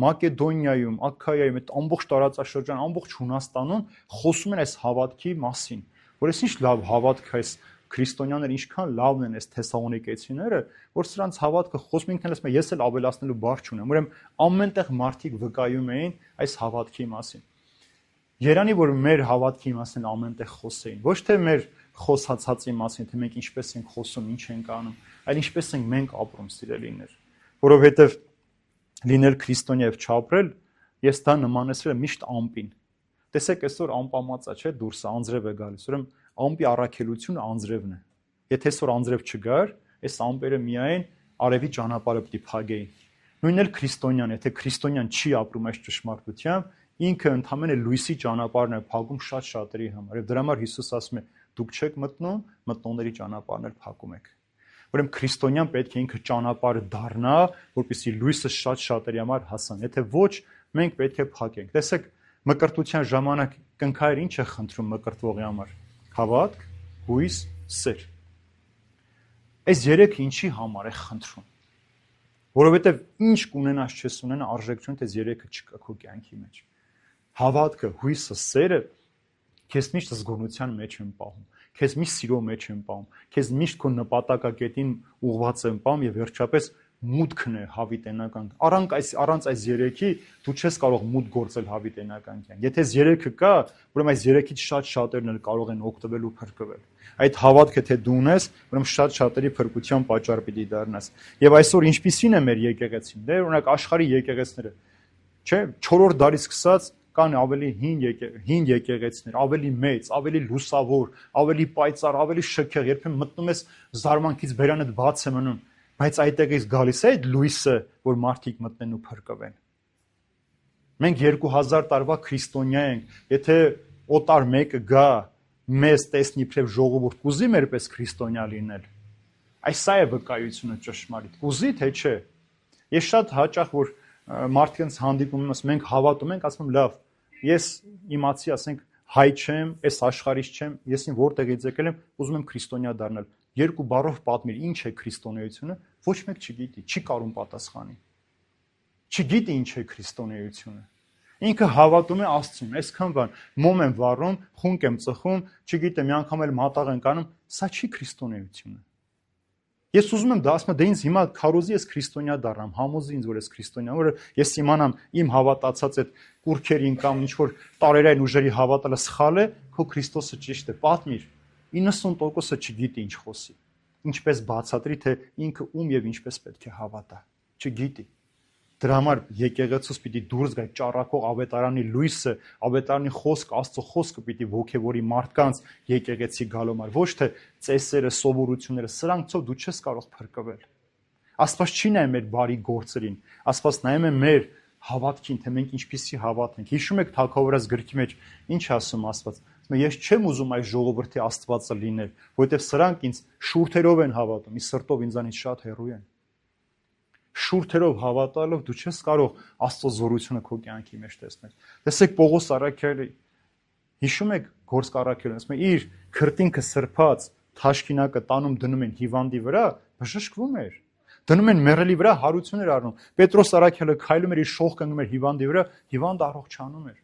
Մակեդոնիայում, Աքայայում, այդ ամբողջ տարածաշրջան, ամբողջ Հունաստանում խոսում են այս հավատքի մասին, որ այս ինչ լավ հավատք է, այս քրիստոնյաները ինչքան լավն են այս թեսաղոնիկեցիները, որ սրանց հավատքը խոսում ինքն էլ ասում է, ես էլ ավելացնելու բառ չունեմ, ուրեմն ամենտեղ մարդիկ վկայում էին այս հավատքի մասին։ Երանի որ մեր հավատքի մասին ամենտեղ խոսեին, ոչ թե մեր խոսացածի մասին, թե մենք ինչպես ենք խոսում, ինչ ենք անում, այլ ինչպես ենք մենք ապրում, սիրելիներ, որովհետև լինել քրիստոնյա եւ չապրել, ես դա նմանեցրել եմ միշտ ամպին։ Տեսեք, այսօր ամպամածա չէ, դուրսը անձրև է գալիս, ուրեմն ամպի առաքելությունը անձրևն է։ Եթե այսօր անձրև չգար, այս ամպերը միայն արևի ճանապարհը պիտի փակեին։ Նույնն էլ քրիստոնյան, եթե քրիստոնյան չի ապրում այս ճշմարտությամբ, ինքը ընդհանրապես լույսի ճանապարհն է փակում շատ շատերի համար։ Եվ դրա համար Հիսուս ասում է. դուք չեք մտնում, մտնողների ճանապարհն էլ փակում եք։ Ուրեմն քրիստոնյան պետք է ինքը ճանապարհը դառնա, որպեսզի լույսը շատ շատերի համար հասան։ Եթե ոչ, մենք պետք է փակենք։ Տեսեք, մկրտության ժամանակ կնքայր ինչ է խնդրում մկրտվողի համար։ Հավատք, հույս, սեր։ Այս երեքը ինչի համար է խնդրում։ Որովհետև ինչ կունենաս չես ունենա արժեքություն, թե երեքը չկա քո կյանքի մեջ։ Հավատքը, հույսը, սերը քեզ միշտ զգոնության մեջ են պահում, քեզ միշտ սիրո մեջ են պահում, քեզ միշտ քո նպատակակետին ուղղված են պահում եւ վերջապես մուտքն է հավիտենական։ Առանց այս առանց այս երեքի դու չես կարող մուտք գործել հավիտենական կյանք։ Եթե այս երեքը կա, ուրեմն այս երեքից շատ շատերն էլ կարող են օգտվել ու փրկվել։ Այդ հավատքը թե դու ունես, ուրեմն շատ շատերի փրկության պատճառ պիտի դառնաս։ Եվ այսօր ինչպիսին է մեր եկեղեցին։ Դե օրինակ աշխարհի եկեղեցիները, չէ՞, չորրորդ դարից սկսած կան ավելի հին հին եկեղեցիներ, ավելի մեծ, ավելի լուսավոր, ավելի պայծառ, ավելի շքեղ, երբեմն մտնում ես զարմանքից բերանդ բաց է մնում, բայց այդտեղից գալիս է այդ լույսը, որ մարդիկ մտնեն ու փրկվեն։ Մենք երկու հազար տարվա քրիստոնյա ենք, եթե օտար մեկը գա, մեզ տեսնի իբրև ժողովուրդ, կուզի մերպես քրիստոնյա լինել։ Այս սա է վկայությունը ճշմարիտ։ Կուզի թե չէ։ Ես շատ հաճախ որ մարդկանց հանդիպում եմ, մենք հավատում ենք, ասում եմ լավ, ես իմացի, ասենք, հայ չեմ, այս աշխարհից չեմ, ես ին որտեղից եկել եմ, ուզում եմ քրիստոնյա դառնալ։ Երկու բառով պատմիր, ինչ է քրիստոնեությունը, ոչ մեկ չգիտի, չի կարող պատասխանի։ Չգիտի ինչ է քրիստոնեությունը։ Ինքը հավատում է Աստծուն, այսքան բան, մոմ եմ վառում, խունկ եմ ծխում, չգիտեմ, մի անգամ էլ մատաղ ենք անում, սա չի քրիստոնեությունը։ Ես ուզում եմ դա ասում, դե ինձ հիմա քարոզի ես քրիստոնյա դառնամ, համոզի ինձ որ ես քրիստոնյա, որ ես իմանամ իմ հավատացած այդ կուրքերին կամ ինչ որ տարերային ուժերի հավատալը սխալ է, քո Քրիստոսը ճիշտ է, պատմիր։ իննսուն տոկոսը չգիտի ինչ խոսի։ Ինչպես բացատրի, թե ինքը ում եւ ինչպես պետք է հավատա, չգիտի։ Դրա համար եկեղեցուց պիտի դուրս գա ճառակող ավետարանի լույսը, ավետարանի խոսքը, Աստծո խոսքը պիտի ողջևորի մարդկանց եկեղեցի գալու համար, ոչ թե ծեսերը, սովորությունները, սրանցով դու չես կարող փրկվել։ Աստված չի նայում մեր բարի գործերին, Աստված նայում է մեր հավատքին, թե մենք ինչպիսի հավատ ենք։ Հիշում եք Թագավորաց գրքի մեջ ինչ ասում Աստված։ Ասում է, ես չեմ ուզում այս ժողովրդի Աստվածը լինել, որովհետև սրանք ինձ շուրթերով են հավատում, իսկ սրտով ինձանից շատ հեռու են։ Շուրթերով հավատալով դու չես կարող Աստծո զորությունը քո կյանքի մեջ տեսնել։ Տեսեք Պողոս Արաքյալը, հիշում եք Գործք Արաքյալը, ասում է իր քրտինքը սրբած թաշկինակը տանում դնում են հիվանդի վրա, բժշկվում էր։ Դնում են մեռելի վրա հարություն էր առնում։ Պետրոս Արաքյալը քայլում էր իր շողը կանգնում էր հիվանդի վրա, հիվանդը առողջանում էր։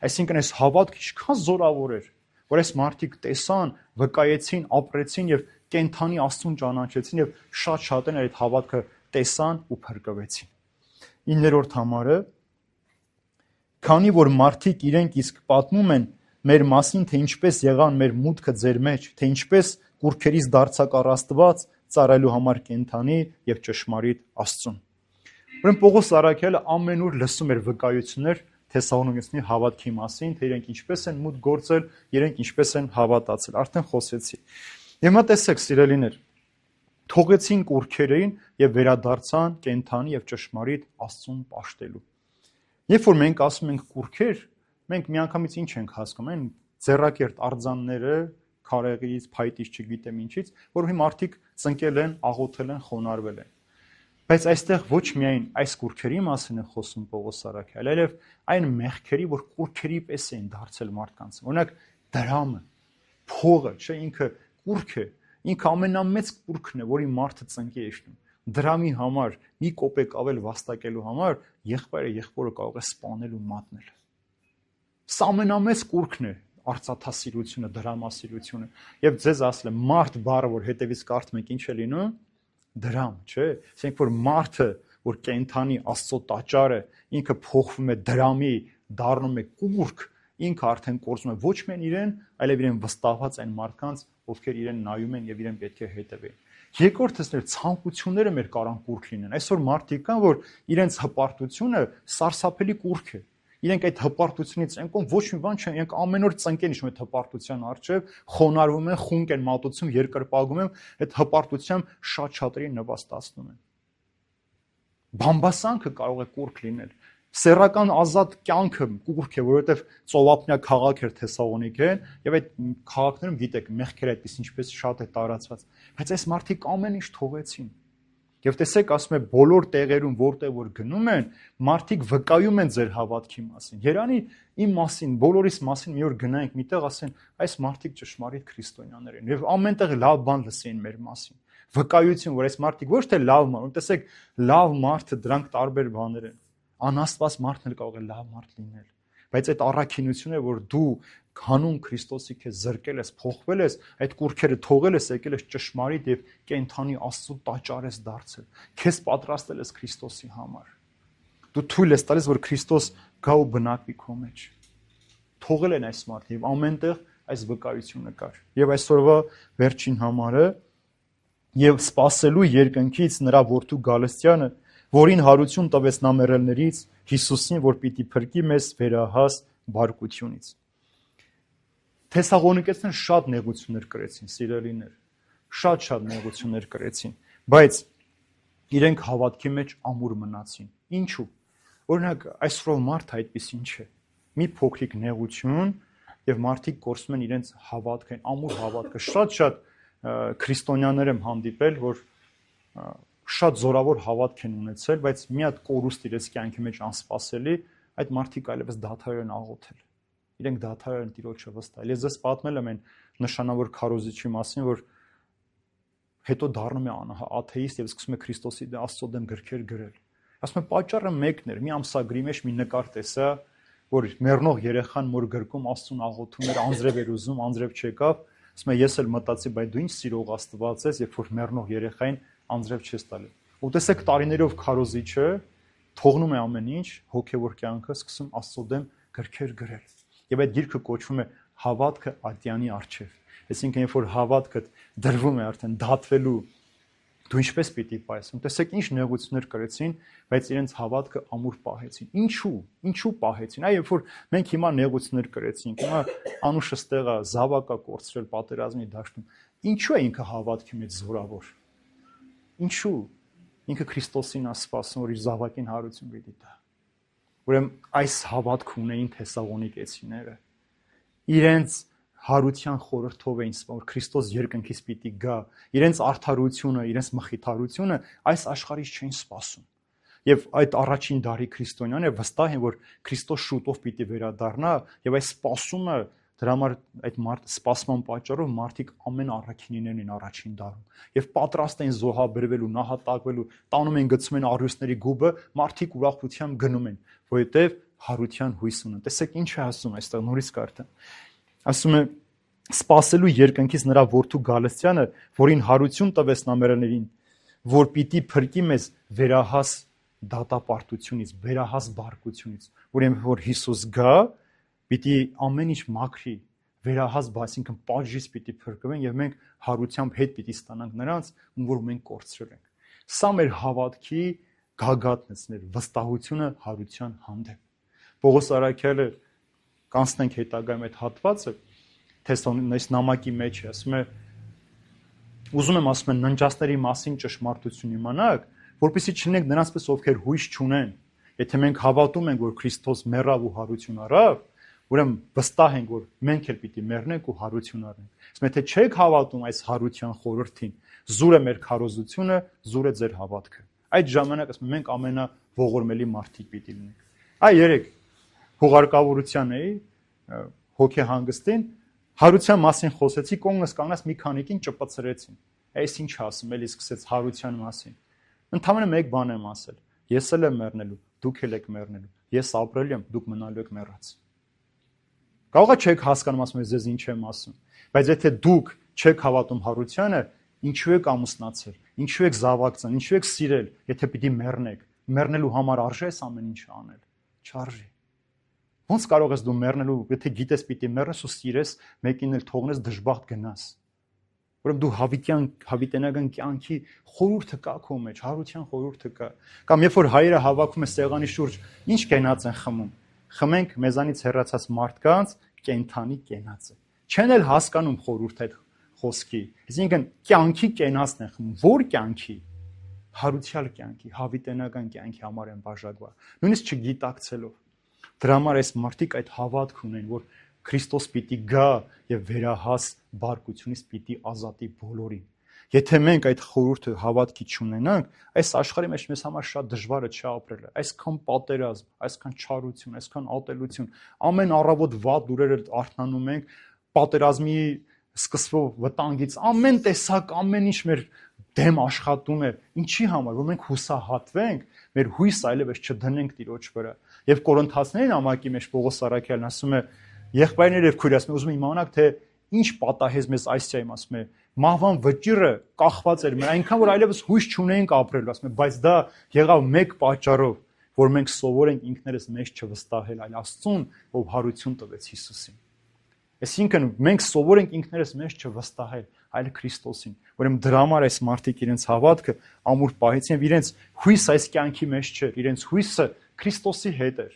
Այսինքն այս հավատքը ինչքան զորավոր էր, որ այս մարդիկ տեսան, վկայեցին, ապրեցին եւ կենթանի Աստծուն ճանաչեցին եւ շատ շատերն այդ հավատքը տեսան ու փրկվեցին։ իններորդ համարը Քանի որ մարդիկ իրենք իսկ պատմում են մեր մասին, թե ինչպես եղան մեր մուտքը ձեր մեջ, թե ինչպես կուռքերից դարձակ առ Աստված, ծառայելու համար կենդանի եւ ճշմարիտ Աստծուն։ Ուրեմն Պողոս առաքյալը ամենուր լսում էր վկայություններ Թեսաղոնիկեցիների հավատքի մասին, թե իրենք ինչպես են մուտք գործել, իրենք ինչպես են հավատացել։ Արդեն խոսեցի։ Եվ մա տեսեք, սիրելիներ, թողեցին կուռքերին եւ վերադարձան կենդանի եւ ճշմարիտ Աստծուն պաշտելու։ Երբ որ մենք ասում ենք կուռքեր, մենք միանգամից ինչ ենք հասկանում, այն ձեռակերտ արձանները, քարեղից, փայտից, չգիտեմ ինչից, որովհետեւ մարդիկ ծնկել են, աղոթել են, խոնարհվել են։ Բայց այստեղ ոչ միայն այս կուռքերի մասին է խոսում Պողոս առաքյալը, այլև այն մեղքերի, որ կուռքերի պես են դարձել մարդկանց։ Օրինակ դրամը, փողը, չէ, ինքը կուռք է, ինքը ամենամեծ կուռքն է, որի մարդը ծնկի է իջնում։ Դրամի համար, մի կոպեկ ավել վաստակելու համար եղբայրը եղբորը կարող է սպանել ու մատնել։ Սա ամենամեծ կուռքն է, արծաթասիրությունը, դրամասիրությունը։ Եվ ձեզ ասել եմ, մարդ բառը, որ հետևից կարդում եք, ինչ է լինում, դրամ, չէ՞։ Ասենք որ մարդը, որ կենդանի Աստծո տաճարը, ինքը փոխվում է դրամի, դառնում է կուռք, ինքը արդեն կորցնում է ոչ միայն իրեն, այլև իրեն վստահված այն մարդկանց, ովքեր իրեն նայում են եւ իրեն պետք է հետևեն։ Երկրորդը ցանկությունները մեր կարան կուռք լինեն։ Այսօր մարդիկ կան, որ իրենց հպարտությունը սարսափելի կուռք է։ Իրենք այդ հպարտությունից ենքոն ոչ մի բան չեն, իրենք ամեն օր ծնկեն իջնում այդ հպարտության առջև, խոնարհվում են, խունկ են մատուցում, երկրպագում են, այդ հպարտությամբ շատ շատերի նվաստացնում են։ Բամբասանքը կարող է կուռք լինել։ Սեռական ազատ կյանքը կուռք է, որովհետև ծովափնյա քաղաք էր Թեսաղոնիկեն, եւ այդ քաղաքներում գիտեք, մեղքերը այդպես ինչպես շատ է տարածված, բայց այս մարդիկ ամեն ինչ թողեցին։ Եվ տեսեք, ասում է, բոլոր տեղերում, որտեղ որ գնում են, մարդիկ վկայում են ձեր հավատքի մասին։ Երանի իմ մասին, բոլորիս մասին մի օր գնայինք միտեղ, ասեն, այս մարդիկ ճշմարիտ քրիստոնյաներ են, եւ ամենտեղ լավ բան լսեին մեր մասին։ Վկայություն, որ այս մարդիկ ոչ թե լավ մարդ, տեսեք, լավ մարդը դրանք տարբեր բաներ են։ Անաստված մարդն էլ կարող է լավ մարդ լինել, բայց այդ առաքինությունը, որ դու հանուն Քրիստոսի քեզ զրկել ես, փոխվել ես, այդ կուռքերը թողել ես, եկել ես ճշմարիտ եւ կենդանի Աստծո տաճար ես դարձել, քեզ պատրաստել ես Քրիստոսի համար։ Դու թույլ ես տալիս, որ Քրիստոս գա ու բնակվի քո մեջ։ Թողել են այս մարդը եւ ամենտեղ այս վկայությունը կար։ Եվ այսօրվա վերջին համարը եւ սпасելու երկնքից նրա որդու Գալստյանը, որին հարություն տվեց նա մեռելներից, Հիսուսին, որ պիտի փրկի մեզ վերահաս բարկությունից։ Թեսաղոնիկեցիները շատ նեղություններ կրեցին, սիրելիներ, շատ-շատ նեղություններ կրեցին, բայց իրենք հավատքի մեջ ամուր մնացին։ Ինչու՞։ Օրինակ, այսօրով մարդը այդպեսին չէ։ Մի փոքրիկ նեղություն եւ մարդիկ կորցնում են իրենց հավատքը, ամուր հավատքը։ Շատ-շատ քրիստոնյաներ եմ հանդիպել, որ շատ զորավոր հավատք են ունեցել, բայց մի հատ կորուստ իրենց կյանքի մեջ անսպասելի, այդ մարդիկ այլևս դադարել են աղոթել։ Իրենք դադարել են Տիրոջը վստահել։ Ես ձեզ պատմել եմ այն նշանավոր քարոզիչի մասին, որ հետո դառնում է աթեիստ եւ սկսում է Քրիստոսի Աստծո դեմ գրքեր գրել։ Ասում է պատճառը մեկն էր, մի ամսագրի մեջ մի նկար տեսա, որ մեռնող երեխան մոր գրկում Աստծուն աղոթում էր, անձրև էր ուզում, անձրև չեկավ։ Ասում է ես էլ մտածի, բայց դու ինչ սիրող Աստված ես, երբ որ մեռնող երեխային անձրև չես տալու։ Ու տեսեք տարիներով քարոզիչը թողնում է ամեն ինչ, հոգևոր կյանքը սկսում Աստծո դեմ գրքեր գրել։ Եվ այդ գիրքը կոչվում է Հավատքը ատյանի առջև։ Այսինքն, երբ որ հավատքը դրվում է արդեն դատվելու, դու ինչպես պիտի պահես։ Տեսեք ինչ նեղություններ կրեցին, բայց իրենց հավատքը ամուր պահեցին։ Ինչու՞։ Ինչու պահեցին։ Այ երբ որ մենք հիմա նեղություններ կրեցինք, հիմա անուշը ստեղա զավակա կորցրել պատերազմի դաշտում, ինչու է ինքը հավատքի մեջ զորավոր։ Ինչու։ Ինքը Քրիստոսին է սպասում, որ իր զավակին հարություն պիտի տա։ Ուրեմն այս հավատք ունեին Թեսաղոնիկեցիները։ Իրենց հարության խորհրդով էին սպասում, որ Քրիստոս երկնքից պիտի գա։ Իրենց արդարությունը, իրենց մխիթարությունը այս աշխարհից չէին սպասում։ Եվ այդ առաջին դարի քրիստոնյաները վստահ են, որ Քրիստոս շուտով պիտի վերադառնա, եւ այս սպասումը դրա համար այդ մարդ սպասման պատճառով մարդիկ ամեն առաքինիներն են առաջին դարում եւ պատրաստ են զոհաբերվելու, նահատակվելու, տանում են գցում են առյուծների գուբը, մարդիկ ուրախությամբ գնում են, որովհետեւ հարության հույս ունեն։ Տեսեք ինչ է ասում այստեղ նորից կարդա։ Ասում է սпасելու երկնքից նրա որդու Գալստյանը, որին հարություն տվեց նա մեռելներին, որ պիտի փրկի մեզ վերահաս դատապարտությունից, վերահաս բարկությունից, ուրեմն որ Հիսուս գա, պիտի ամեն ինչ մաքրի, վերահաս, այսինքն պատժից պիտի փրկվեն եւ մենք հարությամբ հետ պիտի ստանանք նրանց, ում որ մենք կորցրել ենք։ Սա մեր հավատքի գագաթն է, վստահությունը հարության հանդեպ։ Պողոս առաքյալը կանցնենք հետագայում այդ հատվածը, Թեսաղոնիկյանց նամակի մեջ է, ասում է, ուզում եմ ասում եմ ննջասների մասին ճշմարտություն իմանաք, որպեսզի չլինենք նրանցպես, ովքեր հույս չունեն։ Եթե մենք հավատում ենք, որ Քրիստոս մեռավ ու հարություն առավ, ուրեմն վստահ ենք, որ մենք էլ պիտի մեռնենք ու հարություն առնենք։ Իսկ եթե չեք հավատում այս հարության խորհրդին, զուր է մեր քարոզությունը, զուր է ձեր հավատքը։ Այդ ժամանակ ասում մենք ամենաողորմելի մարդիկ պիտի լինենք։ Այ երեք հուղարկավորության էի հոգեհանգստին հարության մասին խոսեցի, կողմս կանգնած մի քանիկին ճպցրեցին։ Այս ինչ ասում, էլի սկսեց հարության մասին։ Ընդհանրապես մեկ բան եմ ասել. ես էլ եմ մեռնելու, դուք էլ եք մեռնելու։ Ես ապրել եմ, դուք մնալու եք մեռած։ Կարող է չեք հասկանում, ասում եմ ձեզ ինչ եմ ասում, բայց եթե դուք չեք հավատում հարությանը, ինչու եք ամուսնացել, ինչու եք զավակցան, ինչու եք սիրել, եթե պիտի մեռնեք, մեռնելու համար արժե այս ամեն ինչը անել։ Չարժի։ Ոնց կարող ես դու մեռնելու, եթե գիտես պիտի մեռնես ու սիրես, մեկին էլ թողնես դժբախտ գնաս։ Ուրեմն դու հավիտյան, հավիտենական կյանքի խորհուրդը կա քո մեջ, հարության խորհուրդը կա։ Կամ երբ որ հայերը հավաքում են սեղանի շուրջ, ինչ կենաց են խմում։ Խմենք մեզանից հեռացած մարդկանց կենթանի կենացը։ Չեն էլ հասկանում խորհուրդ այդ խոսքի։ Այսինքն կյանքի կենացն են խմում։ Որ կյանքի։ Հարության կյանքի, հավիտենական կյանքի համար են բաժակվա։ Նույնիսկ չգիտակցելով։ Դրա համար այս մարդիկ այդ հավատք ունեն, որ Քրիստոս պիտի գա եւ վերահաս բարկությունից պիտի ազատի բոլորին։ Եթե մենք այդ խորհուրդը հավատքի չունենանք, այս աշխարհի մեջ մեզ համար շատ դժվար է չապրելը։ Այսքան պատերազմ, այսքան չարություն, այսքան ատելություն, ամեն առավոտ վատ լուրերը արթնանում ենք, պատերազմի սկսվող վտանգից, ամեն տեսակ, ամեն ինչ մեր դեմ աշխատում է։ Ինչի համար, որ մենք հուսահատվենք, մեր հույսը այլևս չդնենք Տիրոջ վրա։ Եվ Կորինթացիների նամակի մեջ Պողոս առաքյալն ասում է. եղբայրներ եւ քույրեր, ասում եմ, ուզում եմ իմանաք, թե ինչ պատահեց մեզ Ասիայում, ասում է, մահվան վճիռը կախված էր մեր, այնքան որ այլևս հույս չունեինք ապրելու, ասում է, բայց դա եղավ մեկ պատճառով, որ մենք սովորենք ինքներս մեզ չվստահել, այլ Աստծուն, ով հարություն տվեց Հիսուսին։ Այսինքն մենք սովորենք ինքներս մեզ չվստահել, այլ Քրիստոսին։ Ուրեմն դրա համար այս մարդիկ իրենց հավատքը ամուր պահեցին եւ իրենց հույսը այս կյանքի մեջ չէր, իրենց հույսը Քրիստոսի հետ էր։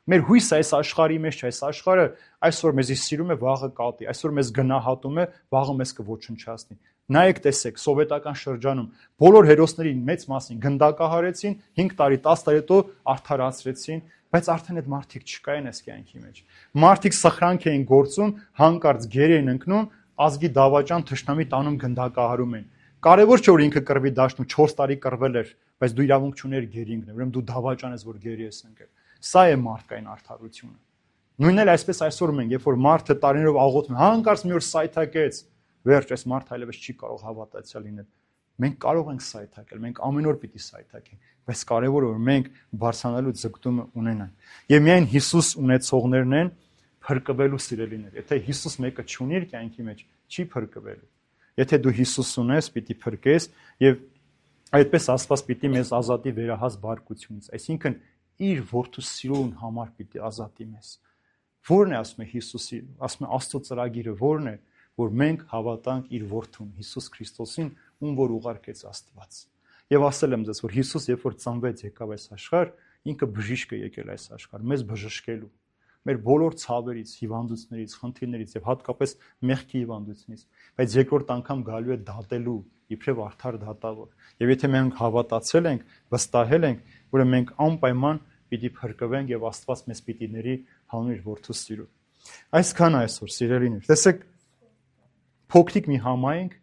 Մեր հույսը այս աշխարհի մեջ չէ, այս աշխարհը այսօր մեզի սիրում է, վաղը կատի, այսօր մեզ գնահատում է, վաղը մեզ կոչնչացնի։ Նայեք, տեսեք, սովետական շրջանում բոլոր հերոսներին մեծ մասին գնդակահարեցին, հինգ տարի, տաս տարի հետո արդարացրեցին, բայց արդեն այդ մարդիկ չկային այս կյանքի մեջ։ Մարդիկ սխրանք էին գործում, հանկարծ գեր էին ընկնում, ազգի դավաճան թշնամի տանում գնդակահարում էին։ Կարևոր չէ որ ինքը կռվի դաշտում չորս տարի կռվել էր, բայց դու իրավունք չուներ գերի ընկնել, ուրեմն դու դավաճան ես, որ գերի ես ընկել։ Սա է մարդկային արդարությունը։ Նույնն էլ այսպես այսօր մենք, երբ որ մարդը տարիներով աղոթում է, հանկարծ մի օր սայթակեց, վերջ, այս մարդը այլևս չի կարող հավատացյալ լինել։ Մենք կարող ենք սայթակել, մենք ամեն օր պիտի սայթակենք, բայց կարևորը որ մենք բարձրանալու ձգտումը ունենանք։ Եվ միայն Հիսուս ունեցողներն են փրկվելու սիրելիներ։ Եթե Հիսուս մեկը չունի իր կյանքի մեջ, չի փրկվելու։ Եթե դու Հիսուս ունես, պիտի փրկես եւ այդպես Աստված պիտի մեզ ազատի վերահաս բարկությունից։ Այսինքն իր որդու սիրուն համար պիտի ազատի մեզ։ Որն է ասում է Հիսուսի, ասում է Աստծո ծրագիրը, որն է, որ մենք հավատանք իր որդուն Հիսուս Քրիստոսին, ում որ ուղարկեց Աստված։ Եվ ասել եմ ձեզ, որ Հիսուս երբ որ ծնվեց եկավ այս աշխարհ, ինքը բժիշկ է եկել այս աշխարհ, մեզ բժշկելու, մեր բոլոր ցավերից, հիվանդություններից, խնդիրներից եւ հատկապես մեղքի հիվանդությունից, բայց երկրորդ անգամ գալու է դատելու, իբրև արդար դատավոր։ Եվ եթե մենք հավատացել ենք, վստահել ենք, ուրեմն մենք անպայման պիտի փրկվենք եւ Աստված մեզ պիտի ների հանուն իր որդու սիրուն։ Այսքան այսօր սիրելիներ։ Տեսեք, փոքրիկ մի համայնք,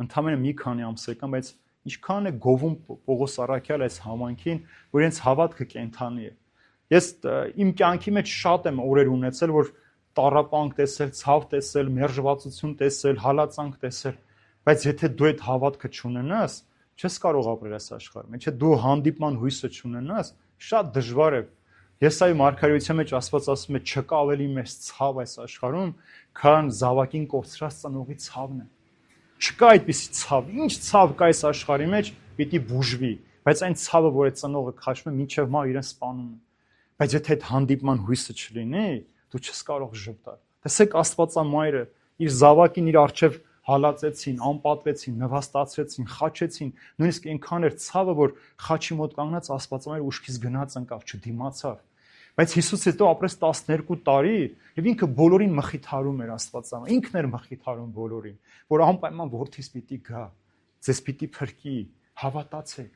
ընդամենը մի քանի ամսական, բայց ինչքան է գովում Պողոս առաքյալ այս համայնքին, որ իրենց հավատքը կենթանի է։ Ես իմ կյանքի մեջ շատ եմ օրեր ունեցել, որ տառապանք տեսել, ցավ տեսել, մերժվածություն տեսել, հալածանք տեսել, բայց եթե դու այդ հավատքը չունենաս, չես կարող ապրել այս աշխարհում։ Եթե դու հանդիպման հույսը չունենաս, շատ դժվար է։ Եսայի մարգարեության մեջ Աստված ասում է, չկա ավելի մեծ ցավ այս աշխարհում, քան զավակին կորցրած ծնողի ցավն է։ Չկա այդպիսի ցավ։ Ինչ ցավ կա այս աշխարհի մեջ, պիտի բուժվի, բայց այն ցավը, որ այդ ծնողը քաշվում է, մինչև մահ իրեն սպանում է։ Բայց եթե այդ հանդիպման հույսը չլինի, դու չես կարող ժպտալ։ Տեսեք Աստվածամայրը իր զավակին իր առջև հալածեցին, անպատվեցին, նվաստացրեցին, խաչեցին, նույնիսկ այնքան էր ցավը, որ խաչի մոտ կանգնած Աստվածամայրը ուշքից գնաց ընկավ, չդիմացավ։ Բայց Հիսուս հետո ապրեց տասներկու տարի, եւ ինքը բոլորին մխիթարում էր Աստվածամայրը, ինքն էր մխիթարում բոլորին, որ անպայման որդիս պիտի գա, ձեզ պիտի փրկի, հավատացեք։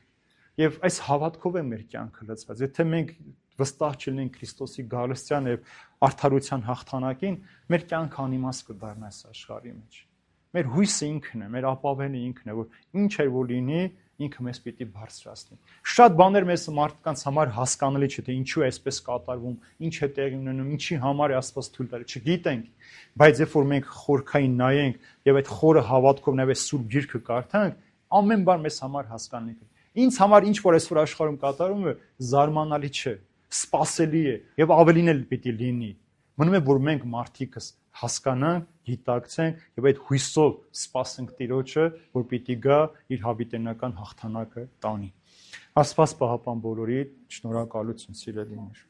Եվ այս հավատքով է մեր կյանքը լցված։ Եթե մենք վստահ չլինենք Քրիստոսի գալստյան եւ արդարության հաղթանակին, մեր կյանքը անիմաստ կդառնա այս աշխարհի մեջ։ Մեր հույսը ինքն է, մեր ապավենը ինքն է, որ ինչ էր որ լինի, ինքը մեզ պիտի բարձրացնի։ Շատ բաներ մեզ մարդկանց համար հասկանալի չէ, թե ինչու է այսպես կատարվում, ինչ է տեղի ունենում, ինչի համար է Աստված թույլ տալի, չգիտենք, բայց երբ որ մենք խորքային նայենք եւ այդ խորը հավատքով նաեւ այս սուրբ գիրքը կարդանք, ամեն բան մեզ համար հասկանալի կլինի։ Ինձ համար ինչ որ այսօր աշխարհում կատարվում է, զարմանալի չէ, սпасելի է եւ ավելին էլ պիտի լինի։ Մնում է որ մենք մարդիկս հասկանանք, գիտակցենք եւ այդ հույսով սпасենք Տիրոջը, որ պիտի գա իր հավիտենական հաղթանակը տանի։ Աստված պահապան բոլորի, շնորհակալություն սիրելիներ։